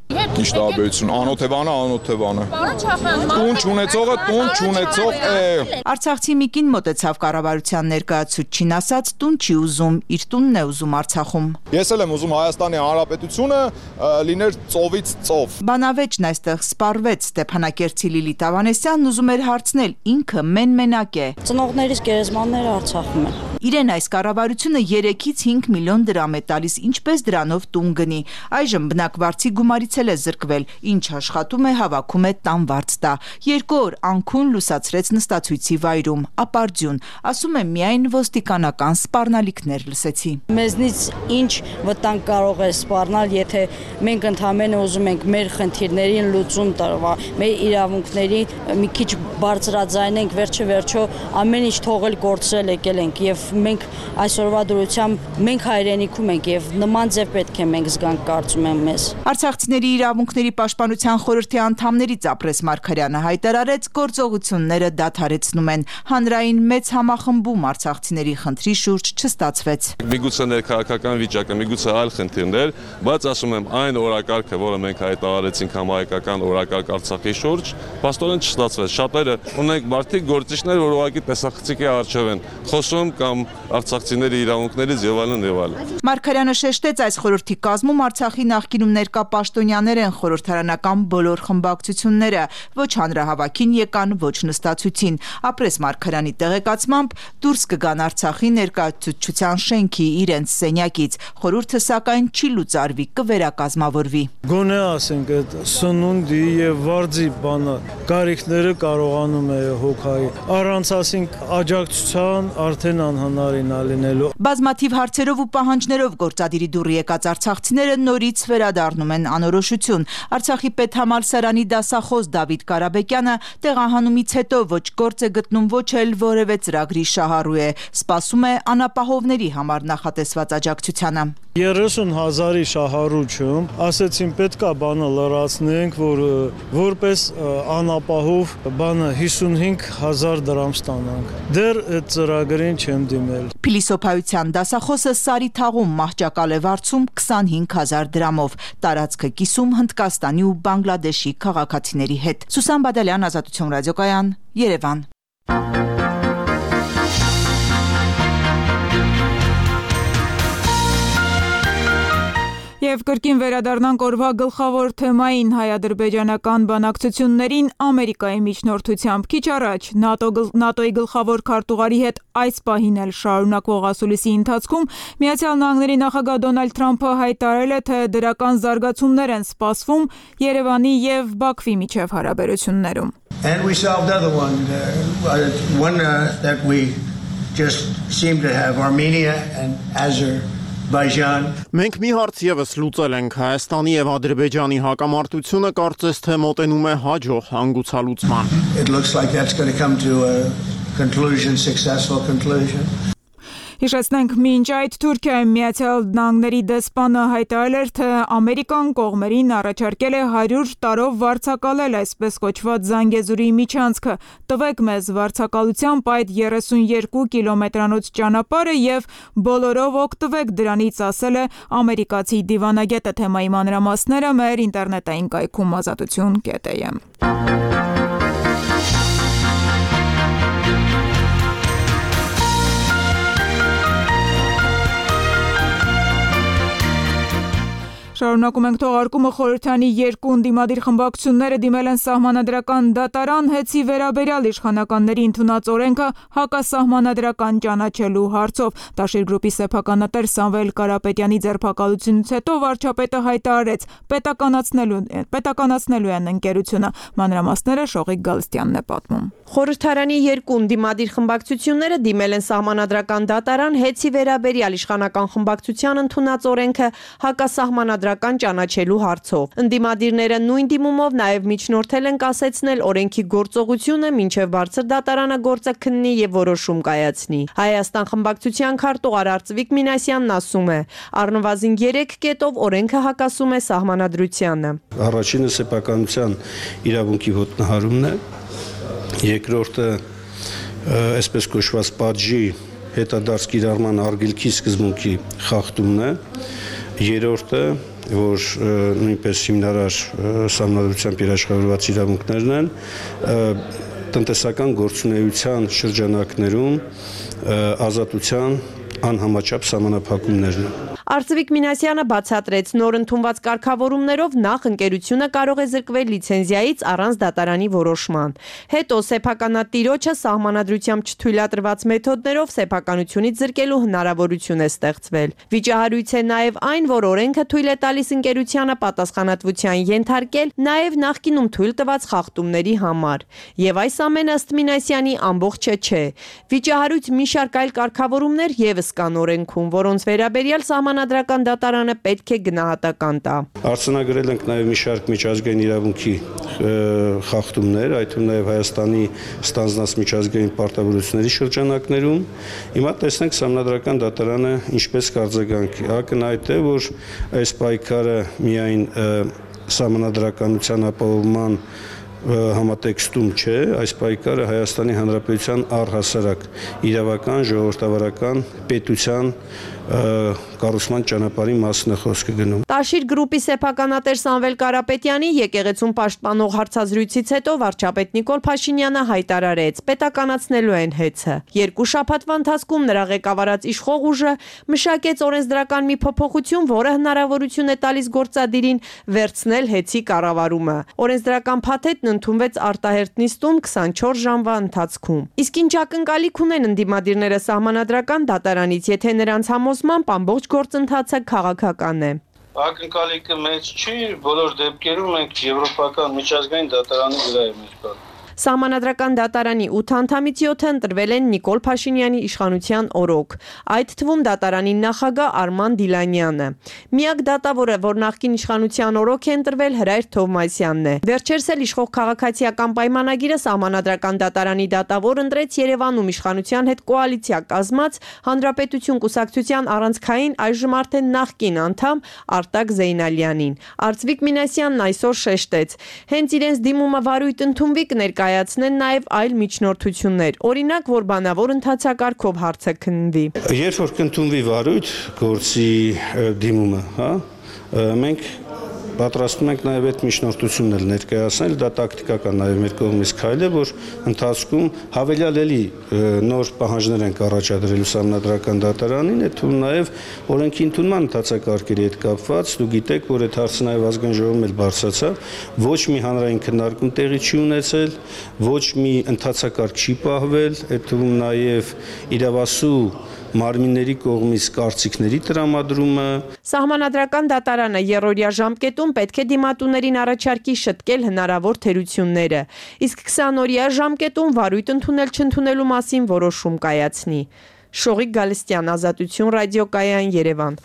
Ինչ տարբերություն, անօթևանը։ Տուն չունեցողը տուն չունեցող է։ Արցախցի մի կին մոտեցավ կառավարության ներկայացուցչին, ասաց տուն չի ուզում, իր տունն է ուզում Արցախում։ Ես էլ եմ ուզում Հայաստանի Հանրապետությունը լիներ ծովից ծով։ Բանավեճն այստեղ սպառվեց, Ստեփանակերտցի Լիլիթ Ավանեսյանն ուզում էր հարցնել, ինքը մեն-մենակ է։ Ծնողներիս գերեզմանները Արցախում են։ Իրեն այս կառավարությունը 3-ից 5 միլիոն դրամ է տալիս, ինչպես դրանով տուն գնի։ Այժմ բնակվարձի գումարից էլ է զրկվել, ինչ աշխատում է, հավաքում է տանվարձ տա։ 2 օր անքուն լուսացրեց նստացույցի վայրում, ապարդյուն, ասում է միայն ոստիկանական սպառնալիքներ լսեցի։ Մեզնից ինչ վտանգ կարող է սպառնալ, եթե մենք ընդհանրապես ուզում ենք մեր խնդիրներին լուծում տալու, մեր իրավունքների մի քիչ բարձրաձայնենք, վերջը ամեն ինչ թողել կորցրել եկել ենք եւ մենք այսօրվա դրությամբ մենք հայրենիքում ենք եւ նման ձև պետք է մենք զգանք, կարծում եմ մեզ։ Արցախցիների իրավունքների պաշտպանության խորհրդի անդամներից Ապրես Մարգարյանը հայտարարեց, գործողությունները դադարեցնում են։ Հանրային մեծ համախմբում արցախցիների խնդրի շուրջ չստացվեց։ Միգուցե ներքաղաքական վիճակը, միգուցե այլ խնդիրներ, բայց ասում եմ, այն օրակարգը, որը մենք հայտարարեցինք համահայկական օրակարգ Արցախի շուրջ, փաստորեն չստացվեց։ Շատերը ունենք մարդիկ գործիչներ, որ ուղղակի տեսախցիկի առջև են խոսում կամ արցախցիների իրավունքներից եւ այլն եւ այլն։ Մարգարյանը շեշտեց, այս խորհրդի կազմում Արցախի նախկինում ներկա պաշտոնյաներ են, խորհրդարանական բոլոր խմբակցությունները, ոչ հանրահավաքին եկան, ոչ նստացույցին։ Ապրես Մարգարյանի տեղեկացմամբ դուրս կգան Արցախի ներկայացուցչության շենքի իրենց սենյակից։ Խորհուրդը սակայն չի լուծարվի, կվերակազմավորվի։ Գոնե ասենք այդ սնունդի եւ վարձի բանը կարիքները կարողանում է հոգայի։ Առանց ասենք աջակցության արդեն անհնարին է լինելու։ Բազմաթիվ հարցերով ու պահանջներով գործադիրի դուռ եկած արցախցիները նորից վերադառնում են անորոշություն։ Արցախի պետհամալսարանի դասախոս Դավիթ Կարաբեկյանը տեղահանումից հետո ոչ գործ է գտնում, ոչ էլ որևէ ծրագրի շահառու է։ Սպասում է անապահովների համար նախատեսված աջակցությանը։ 30,000-ի շահառուչում ասեցին պետքա բանը լրացնենք, որ որպես անապահով բանը 55,000 դրամ ստանանք։ Դեռ այդ ծրագրին չեմ դիմել։ Փիլիսոփայության դասախոսը Սարի թաղում մահճակալ է վարձում 25,000 դրամով, տարածքը կիսում Հնդկաստանի ու Բանգլադեշի քաղաքացիների հետ։ Սուսան Բադալյան, Ազատություն ռադիոկայան, Երևան։ Եվ կրկին վերադառնանք օրվա գլխավոր թեմային հայ-ադրբեջանական բանակցություններին Ամերիկայի միջնորդությամբ։ Քիչ առաջ ՆԱՏՕ-ի գլխավոր քարտուղարի հետ այս պահին էլ շարունակվող ասուլիսի ընթացքում Միացյալ Նահանգների նախագահ Դոնալդ Թրամփը հայտարարել է, թե դրական զարգացումներ են սպասվում Երևանի եւ Բաքվի միջև հարաբերություններում։ And we solved another one that we just seem to have Armenia and Azerbaijan. Մենք մի հարց եւս լուծել ենք Հայաստանի եւ Ադրբեջանի հակամարտությունը կարծես թե մոտենում է հաջող հանգուցալուծման։ It looks like that's going to come to a conclusion, successful conclusion. Հիշեցնենք, մինչ այդ Թուրքիայի Միացյալ Նահանգների դեսպանը հայտարարել էր, թե Ամերիկան կողմերին առաջարկել է 100 տարով վարձակալել այսպես կոչված Զանգեզուրի միջանցքը։ Տվեք մեզ վարձակալությամբ այդ 32 կիլոմետրանոց ճանապարհը եւ բոլորով օգտվեք դրանից, ասել է ամերիկացի դիվանագետը։ Թեմայի մանրամասները մեր ինտերնետային կայքում ազատություն.am։ Շարունակ Շարունակում ենք թողարկումը խորհրդանի երկու ընդդիմադիր խմբակցությունները դիմել են սահմանադրական դատարան հեծի վերաբերյալ իշխանականների ընդունած օրենքը հակասահմանադրական ճանաչելու հարցով։ Տաշիր գրուպի սեփականատեր Սամվել Կարապետյանի ձերբակալությունից հետո վարչապետը հայտարարեց պետականացնելու են ընկերությունը։ Մանրամասները Շողիկ Գալստյանն է պատմում։ Խորհրդարանի երկու ընդդիմադիր խմբակցությունները դիմել են սահմանադրական դատարան հեծի վերաբերյալ իշխանական խմբակցության ընդունած օրենքը հակասահմանադրական ճանաչելու հարցով։ Ընդդիմադիրները նույն դիմումով նաև միջնորդել են կասեցնել օրենքի գործողությունը, մինչև բարձր դատարանը գործը քննի եւ որոշում կայացնի։ Հայաստան խմբակցության քարտուղար Արծվիկ Մինասյանն ասում է, առնվազն 3 կետով օրենքը հակասում է սահմանադրությանը։ Առաջինը սեփականության իրավունքի ոտնահարումն է, երկրորդը այսպես կոչված պատժի հետադարձ կիրառման արգելքի սկզբունքի խախտումն է, երրորդը, որ նույնպես հիմնարար սահմանադրությամբ երաշխավորված իրավունքներն են, տնտեսական գործունեության շրջանակներում ազատության անհամաչափ սահմանափակումներն են։ Արծվիկ Մինասյանը բացատրեց, նոր ընդունված կարգավորումներով նախ ընկերությունը կարող է զրկվել լիցենզիայից առանց դատարանի որոշման։ Հետո սեփականատիրոջը սահմանադրությամբ չթույլատրված մեթոդներով սեփականությունից զրկելու հնարավորություն է ստեղծվել։ Վիճահարույց է նաև այն, որ օրենքը թույլ է տալիս ընկերությանը պատասխանատվության ենթարկել նաև նախկինում թույլ տված խախտումների համար։ Եվ այս ամենը ըստ Մինասյանի ամբողջը չէ։ Վիճահարույց մի շարք այլ կարգավորումներ ևս կան օրենքում, որոնց վերաբերյալ Սահմանադրական դատարանը պետք է գնահատական տա։ Արձանագրել ենք նաև մի շարք միջազգային իրավունքի խախտումներ, այդ թվում նաև Հայաստանի ստանձնած միջազգային պարտավորությունների շրջանակներում։ Հիմա տեսնենք Սահմանադրական դատարանը ինչպես կարձագանքի։ Ակնհայտ է, որ այս պայքարը միայն սահմանադրականության ապահովման համատեքստում չէ, այս պայքարը Հայաստանի Հանրապետության առհասարակ իրավական, ժողովրդավարական, պետության կառուցման ճանապարհի մասն է խոսքը գնում։ Տաշիր գրուպի սեփականատեր Սամվել Կարապետյանի եկեղեցուն պաշտպանող հարցազրույցից հետո վարչապետ Նիկոլ Փաշինյանը հայտարարեց, պետականացնելու են հեծը։ Երկու շաբաթվա ընթացքում նրա ղեկավարած իշխող ուժը մշակեց օրենսդրական մի փոփոխություն, որը հնարավորություն է տալիս գործադիրին վերցնել հեծի կառավարումը։ Օրենսդրական փաթեթն ընդունվեց արտահերթ նիստում 24 ժամվա ընթացքում։ Իսկ ինչ ակնկալիք ունեն ընդդիմադիրները սահմանադրական դատարանից, եթե նրանց համոզմամբ ամբողջ գործընթացը քաղաքական է։ Ակնկալիքը մեծ չի, բոլոր դեպքերում մենք եվրոպական միջազգային դատարանի վրա ենք կապ։ Սահմանադրական դատարանի 8 անդամից 7-ը ընտրվել են Նիկոլ Փաշինյանի իշխանության օրոք, այդ թվում դատարանի նախագահ Արման Դիլանյանը։ Միակ դատավորը, որ նախկին իշխանության օրոք է ընտրվել, Հրայր Թովմասյանն է։ Վերջերս էլ իշխող քաղաքացիական պայմանագիրը Սահմանադրական դատարանի դատավոր ընտրեց Երևանում իշխանության հետ կոալիցիա կազմած Հանրապետություն կուսակցության առանցքային այժմ արդեն նախկին անդամ Արտակ Զեյնալյանին։ Արծվիկ Մինասյանն այսօր շեշտեց, հենց իրենց դիմումը վարույթ ընդունվի կներկայացնեն նաև այլ միջնորդություններ, օրինակ, որ բանավոր ընթացակարգով հարցը քննվի։ Երբ որ կընդունվի վարույթ գործի դիմումը, մենք պատրաստում ենք նաև այդ միջնորդությունն էլ ներկայացնել, դա տակտիկական նաև մեր կողմից քայլ է, որ ընթացքում հավելյալ էլի նոր պահանջներ ենք առաջադրելու Սահմանադրական դատարանին, այդ թվում նաև օրենքի ընդունման ընթացակարգերի հետ կապված, դու գիտեք, որ այդ հարցը նաև ազգային ժողովում էլ բարձրացավ, ոչ մի հանրային քննարկում տեղի չի ունեցել, ոչ մի ընթացակարգ չի պահվել, այդ թվում նաև իրավասու մարմինների կողմից կարծիքների տրամադրումը։ Սահմանադրական դատարանը երրորդյա ժամկետում պետք է դիմատուներին առաջարկի շտկել հնարավոր թերությունները, իսկ 20-օրյա ժամկետում վարույթ ընդունել-չընդունելու մասին որոշում կայացնի։ Շողիկ Գալստյան, Ազատություն ռադիոկայան, Երևան։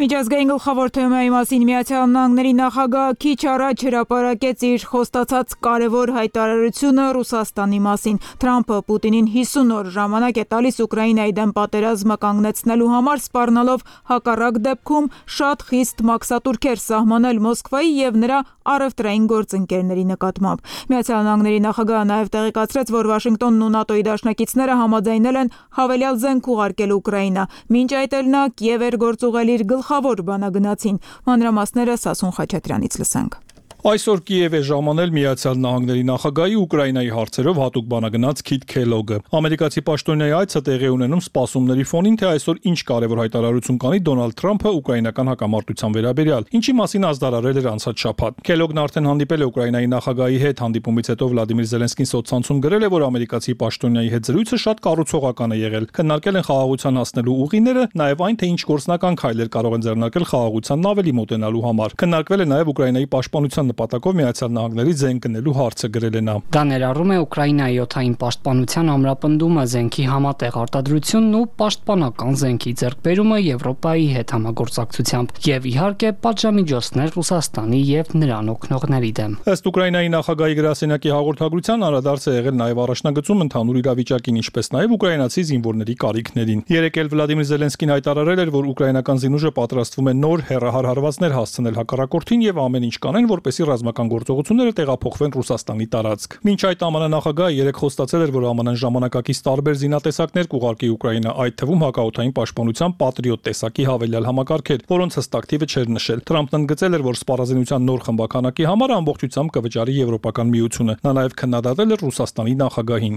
Միջազգային գլխավոր թեմայի մասին Միացյալ Նահանգների նախագահը քիչ առաջ հրապարակեց իր խոստացած կարևոր հայտարարությունը Ռուսաստանի մասին։ Թրամփը Պուտինին 50 օր ժամանակ է տալիս Ուկրաինայի դեմ պատերազմը կանգնեցնելու համար, սպառնալով հակառակ դեպքում շատ խիստ մաքսատուրքեր սահմանել Մոսկվայի եւ նրա առևտրային գործընկերների նկատմամբ։ Միացյալ Նահանգների նախագահը նաև տեղեկացրեց, որ Վաշինգտոնն ու ՆԱՏՕ-ի դաշնակիցները համաձայնել են հավելյալ զենք ուղարկել Ուկրաինա։ Մինչ այդ էլ նա Կիև էր գործուղել իր գլխավոր բանագնացին։ Մանրամասները Սասուն Խաչատրյանից լսենք։ Այսօր Կիև է ժամանել Միացյալ Նահանգների նախագահի Ուկրաինայի հարցերով հատուկ բանագնաց Քիթ Քելոգը։ Ամերիկացի պաշտոնյայի այցը տեղի ունենում սպասումների ֆոնին, թե այսօր ինչ կարևոր հայտարարություն կանի Դոնալդ Թրամփը ուկրաինական հակամարտության վերաբերյալ, ինչի մասին ազդարարել էր անցած շաբաթ։ Քելոգն արդեն հանդիպել է Ուկրաինայի նախագահի հետ, հանդիպումից հետո Վլադիմիր Զելենսկին սոցցանցում գրել է, որ ամերիկացի պաշտոնյայի հետ զրույցը շատ կառուցողական է եղել։ Քննարկել են խաղաղության հասնելու ուղիները, նաև այն, թե ինչ գործնական քայլեր կարող են ձեռնարկել խաղաղությանն ավելի մոտենալու համար։ Քննարկվել է նաև Ուկրաինայի պաշտպանության նպատակով Միացյալ Նահանգների զենք գնելու հարցը, գրել է նա։ Դա ներառում է Ուկրաինայի օդային պաշտպանության ամրապնդումը, զենքի համատեղ արտադրությունն ու պաշտպանական զենքի ձեռքբերումը Եվրոպայի հետ համագործակցությամբ եւ իհարկե պատժամիջոցներ Ռուսաստանի եւ նրան օգնողների դեմ։ Ըստ Ուկրաինայի նախագահի գրասենյակի հաղորդագրության անդրադարձ է եղել նաև առաջնագծում ընդհանուր իրավիճակին, ինչպես նաև ուկրաինացի զինվորների կարիքներին։ Երեկ էլ Վլադիմիր Զելենսկին հայտարարել էր, որ ուկրաինական զինուժը պատրաստվում է նոր հեռահար հարվածներ հասցնել հակառակորդին եւ ամեն ինչ կանեն, որպեսզի ռազմական գործողությունները տեղափոխվեն Ռուսաստանի տարածք։ Մինչ այդ ԱՄՆ նախագահը երեկ խոստացել էր, որ ԱՄՆ-ն ժամանակակից տարբեր զինատեսակներ կուղարկի Ուկրաինա, այդ թվում հակաօդային պաշտպանության Patriot տեսակի հավելյալ համակարգեր, որոնց հստակ թիվը չէր նշել։ Թրամփն ընդգծել էր, որ սպառազինության նոր խմբականակի համար ամբողջությամբ կվճարի Եվրոպական միությունը։ Նա նաև քննադատել էր Ռուսաստանի նախագահին։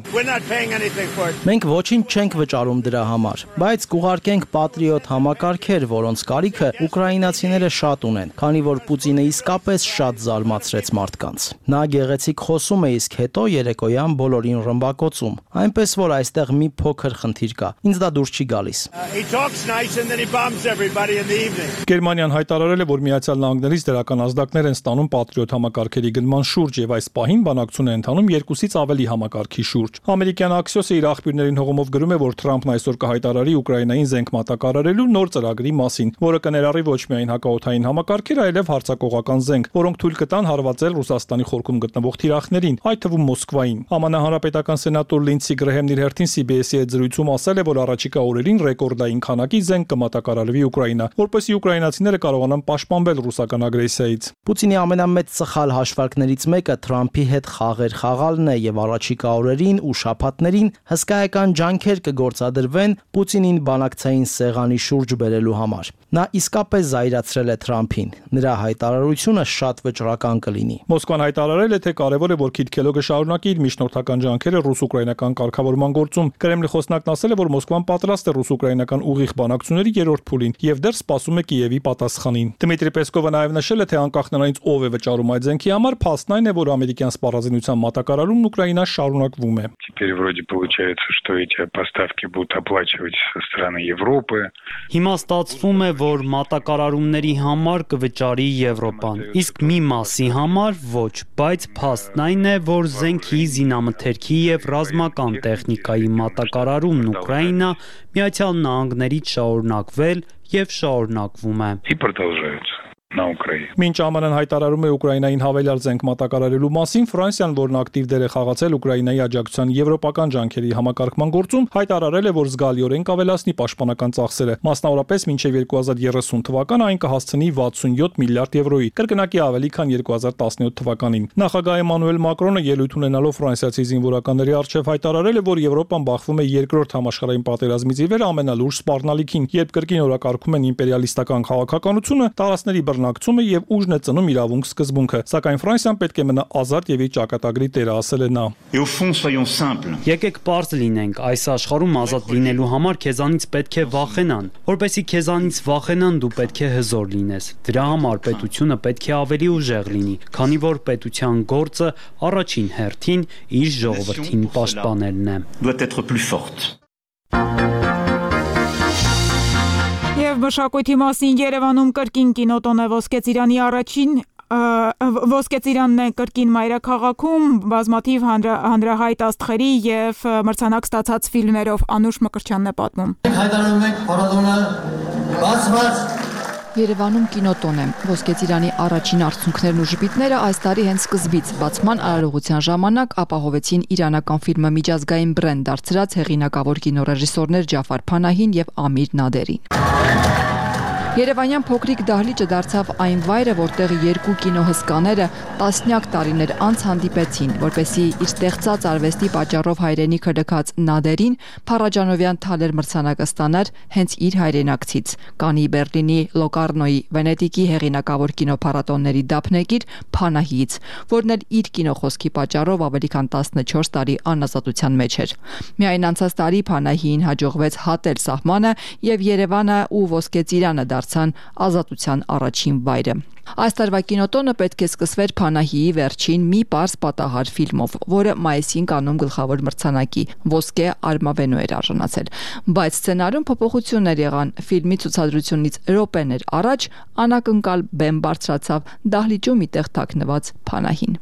Մենք ոչինչ չենք վճարում դրա համար, բայց կուղարկենք Patriot համակարգեր, որոնց կարիքը ուկրաինացիները շատ ունեն, քանի որ Պուտինը իսկապես շատ զարմացրեց մարդկանց։ Նա գեղեցիկ խոսում է, իսկ հետո երեկոյան բոլորին ռմբակոծում, այնպես որ այստեղ մի փոքր խնդիր կա։ Ինձ դա դուրս չի գալիս։ Գերմանիան հայտարարել է, որ Միացյալ Նահանգներից դրական ազդակներ են ստանում Patriot համակարգերի գնման շուրջ եւ այս պահին բանակցություն է ընթանում 2-ից ավելի համակարգի շուրջ։ Ամերիկյան Axios-ը իր աղբյուրներին հողումով գրում է, որ Թրամփն այսօր կհայտարարի Ուկրաինային զենք մատակարարելու նոր ծրագրի մասին, որը կներառի ոչ միայն հակաօդային համակարգեր, այլև հարձակողական զենք, որոնք թույլ կտան հարվածել Ռուսաստանի խորքում գտնվող թիրախներին, այդ թվում Մոսկվային։ ԱՄՆ հանրապետական սենատոր Լինդսի Գրեհեմն իր հերթին CBS-ի հետ զրույցում ասել է, որ առաջիկա օրերին ռեկորդային քանակի զենք կմատակարարվի Ուկրաինա, որպեսզի ուկրաինացիները կարողանան պաշտպանվել ռուսական ագրեսիայից։ Պուտինի ամենամեծ սխալ հաշվարկներից մեկը Թրամփի հետ խաղեր խաղալն է եւ առաջիկա օրերին ու շաբաթներին հսկայական ջանքեր կգործադրվեն Պուտինին բանակցային սեղանի շուրջ բերելու համար։ Նա իսկապես զայրացրել է Թրամփին։ Նրա հայտարարությունը շատ վճռական կլինի։ Մոսկվան հայտարարել է, թե կարևոր է, որ Քիթ Քելոգը շարունակի իր միջնորդական ջանքերը ռուս-ուկրաինական կարգավորման գործում։ Կրեմլի խոսնակն ասել է, որ Մոսկվան պատրաստ է ռուս-ուկրաինական ուղիղ բանակցությունների երրորդ փուլին եւ դեռ սպասում է Կիևի պատասխանին։ Դմիտրի Պեսկովը նաև նշել է, թե անկախ նրանից ով է վճարում այդ զենքի համար, փաստն այն է, որ ամերիկյան սպառազինության մատակարարումն Ուկրաինա շարունակվում է։ Теперь вроде получается, что эти поставки будут оплачивать со стороны Европы. Հիմա ստացվում է, որ մատակարարումների համար կվճարի Եվրոպան, իսկ մի մասի համար ոչ, բայց փաստն այն է, որ զենքի, զինամթերքի եւ ռազմական տեխնիկայի մատակարարումն Ուկրաինա Միացյալ Նահանգներից շարունակվել եւ շարունակվում է։ И продолжаются. На Украине. Մինչ ԱՄՆ-ն հայտարարում է Ուկրաինային հավելյալ զենք մատակարարելու մասին, Ֆրանսիան, որն ակտիվ դեր է խաղացել Ուկրաինայի աջակցության եվրոպական ջանքերի համակարգման գործում, հայտարարել է, որ զգալիորեն կավելացնի պաշտպանական ծախսերը։ Մասնավորապես մինչև 2030 թվական այն կհասցնի 67 միլիարդ եվրոյի, կրկնակի ավելի քան 2017 թվականին։ Նախագահ Էմանուել Մակրոնը ելույթ ունենալով ֆրանսիացի զինվորականների առջև հայտարարել է, որ Եվրոպան բախվում է երկրորդ համաշխարհային պատերազմից ի վեր ամենալուրջ սպառնալիքին, երբ կրկին օրակարգում են իմպերիալիստական քաղաքականությունը, տարածքների բռնակցումը եւ ուժն է ծնում իրավունք սկզբունքը, սակայն Ֆրանսիան պետք է մնա ազատ եւ իր ճակատագրի տերը, ասել է նա։ Եկեք պարզ լինենք, այս աշխարհում ազատ լինելու համար քեզանից պետք է վախենան, որպեսզի քեզանից վախենան, դու պետք է հզոր լինես։ Դրա համար պետությունը պետք է ավելի ուժեղ լինի, քանի որ պետության գործը առաջին հերթին իր ժողովրդին պաշտպանելն է։ Եվ մշակույթի մասին Երևանում կրկին կինոտոն է Ոսկե ծիրանն է կրկին մայրաքաղաքում բազմաթիվ հանրահայտ աստղերի եւ մրցանակ ստացած ֆիլմերով Անուշ Մկրտչյանն է պատմում։ Հայտարարում ենք փառատոնը բացված։ Երևանում կինոտոն է։ Ոսկե ծիրանի առաջին արդյունքներն ու ժպիտները այս տարի հենց սկզբից բացման արարողության ժամանակ ապահովեցին իրանական ֆիլմը միջազգային բրենդ դարձրած հեղինակավոր կինոռեժիսորներ Ջաֆար Փանահին եւ Ամիր Նադերին։ Երևանյան փոքրիկ դահլիճը դարձավ այն վայրը, որտեղ երկու կինոհսկաները տասնյակ տարիներ անց հանդիպեցին, որպեսզի իր ստեղծած արվեստի պատճառով հայրենիքը լքած Նադերին Փարաջանովյան թալեր մրցանակը ստանար հենց իր հայրենակցից, Կաննի, Բերլինի, Լոկարնոյի, Վենետիկի հեղինակավոր կինոփառատոնների դափնեկիր Փանահիից, որն էլ իր կինոխոսքի պատճառով ավելի քան 14 տարի անազատության մեջ էր։ Միայն անցած տարի Փանահիին հաջողվեց հատել սահմանը եւ Երևանը ու Ոսկե ծիրանը դարձան ազատության առաջին վայրը։ Այս տարվա կինոտոնը պետք է սկսվեր Փանահիի վերջին մի պարզ պատահար ֆիլմով, որը մայիսին Կաննում գլխավոր մրցանակի Ոսկե Արմավենու էր արժանացել, բայց սցենարում փոփոխություններ եղան։ Ֆիլմի ցուցադրությունից րոպեներ առաջ անակնկալ բեմ բարձրացավ դահլիճում մի տեղ թաքնված Փանահին։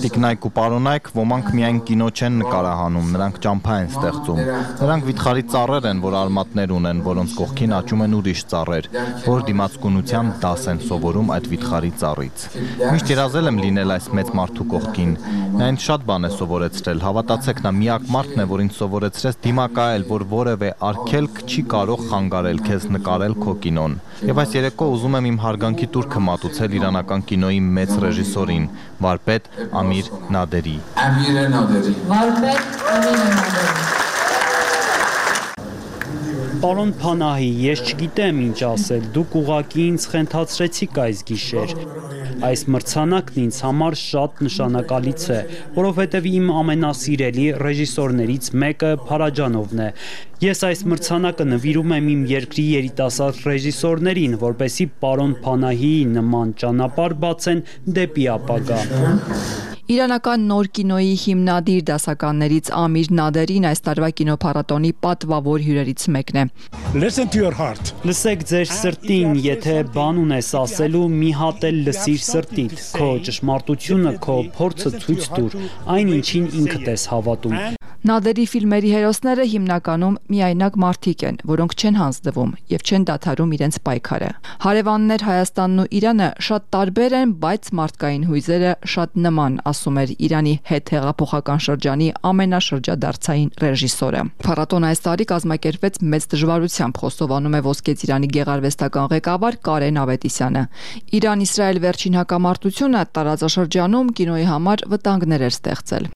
Տիկնայք ու պարոնայք, ոմանք միայն կինո չեն նկարահանում, նրանք ճամփա են ստեղծում։ Նրանք վիթխարի ծառեր են, որ արմատներ ունեն, որոնց կողքին աճում են ուրիշ ծառեր, որ դիմացկունության դաս են սովորում այդ վիթխարի ծառից։ Միշտ երազել եմ լինել այս մեծ մարդու կողքին։ Նա ինձ շատ բան է սովորեցրել, հավատացեք, նա միակ մարդն է, որ ինձ սովորեցրեց դիմակայել, որ որևէ արգելք չի կարող խանգարել քեզ նկարել քո կինոն։ Եվ այս երեկո ուզում եմ իմ հարգանքի տուրքը մատուցել իրանական կինոյի մեծ ռեժիսորին, վարպետ Ամիր Նադերի։ Պարոն Փանահի, ես չգիտեմ ինչ ասել, դուք ուղղակի ինձ խենթացրեցիք այս գիշեր։ Այս մրցանակն ինձ համար շատ նշանակալից է, որովհետև իմ ամենասիրելի ռեժիսորներից մեկը Փարաջանովն է։ Ես այս մրցանակը նվիրում եմ իմ երկրի երիտասարդ ռեժիսորներին, որպեսզի պարոն Փանահիի նման ճանապարհ բացեն դեպի ապագա։ Իրանական նոր կինոյի հիմնադիր դասականներից Ամիր Նադերին այս տարվա կինոփառատոնի պատվավոր հյուրերից մեկն է։ Listen to your heart. Լսեք ձեր սրտին, եթե բան ունես ասելու, մի հատ էլ լսիր սրտիդ, քո ճշմարտությունը, քո փորձը ցույց տուր, այն ինչին ինքդ ես հավատում։ Նադերի ֆիլմերի հերոսները հիմնականում միայնակ մարդիկ են, որոնք չեն հանձնվում եւ չեն դադարում իրենց պայքարը։ Հարևաններ Հայաստանն ու Իրանը շատ տարբեր են, բայց մարդկային հույզերը շատ նման, ասում էր Իրանի հետհեղափոխական շրջանի ամենաշրջադարձային ռեժիսորը։ Փառատոնը այս տարի կազմակերպվեց մեծ դժվարությամբ, խոստովանում է Ոսկե ծիրանի գեղարվեստական ղեկավար Կարեն Ավետիսյանը։ Իրան-Իսրայել վերջին հակամարտությունը տարածաշրջանում կինոյի համար վտանգներ էր ստեղծել։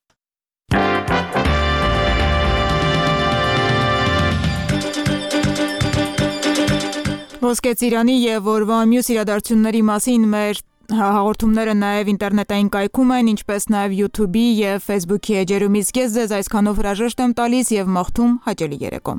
Ոսկե ծիրանի եւ օրվա մյուս իրադարձությունների մասին մեր հաղորդումները նաև ինտերնետային կայքում են, ինչպես նաև YouTube-ի եւ Facebook-ի էջերում։ Իսկ ես ձեզ այսքանով հրաժեշտ եմ տալիս եւ մաղթում հաճելի երեկո։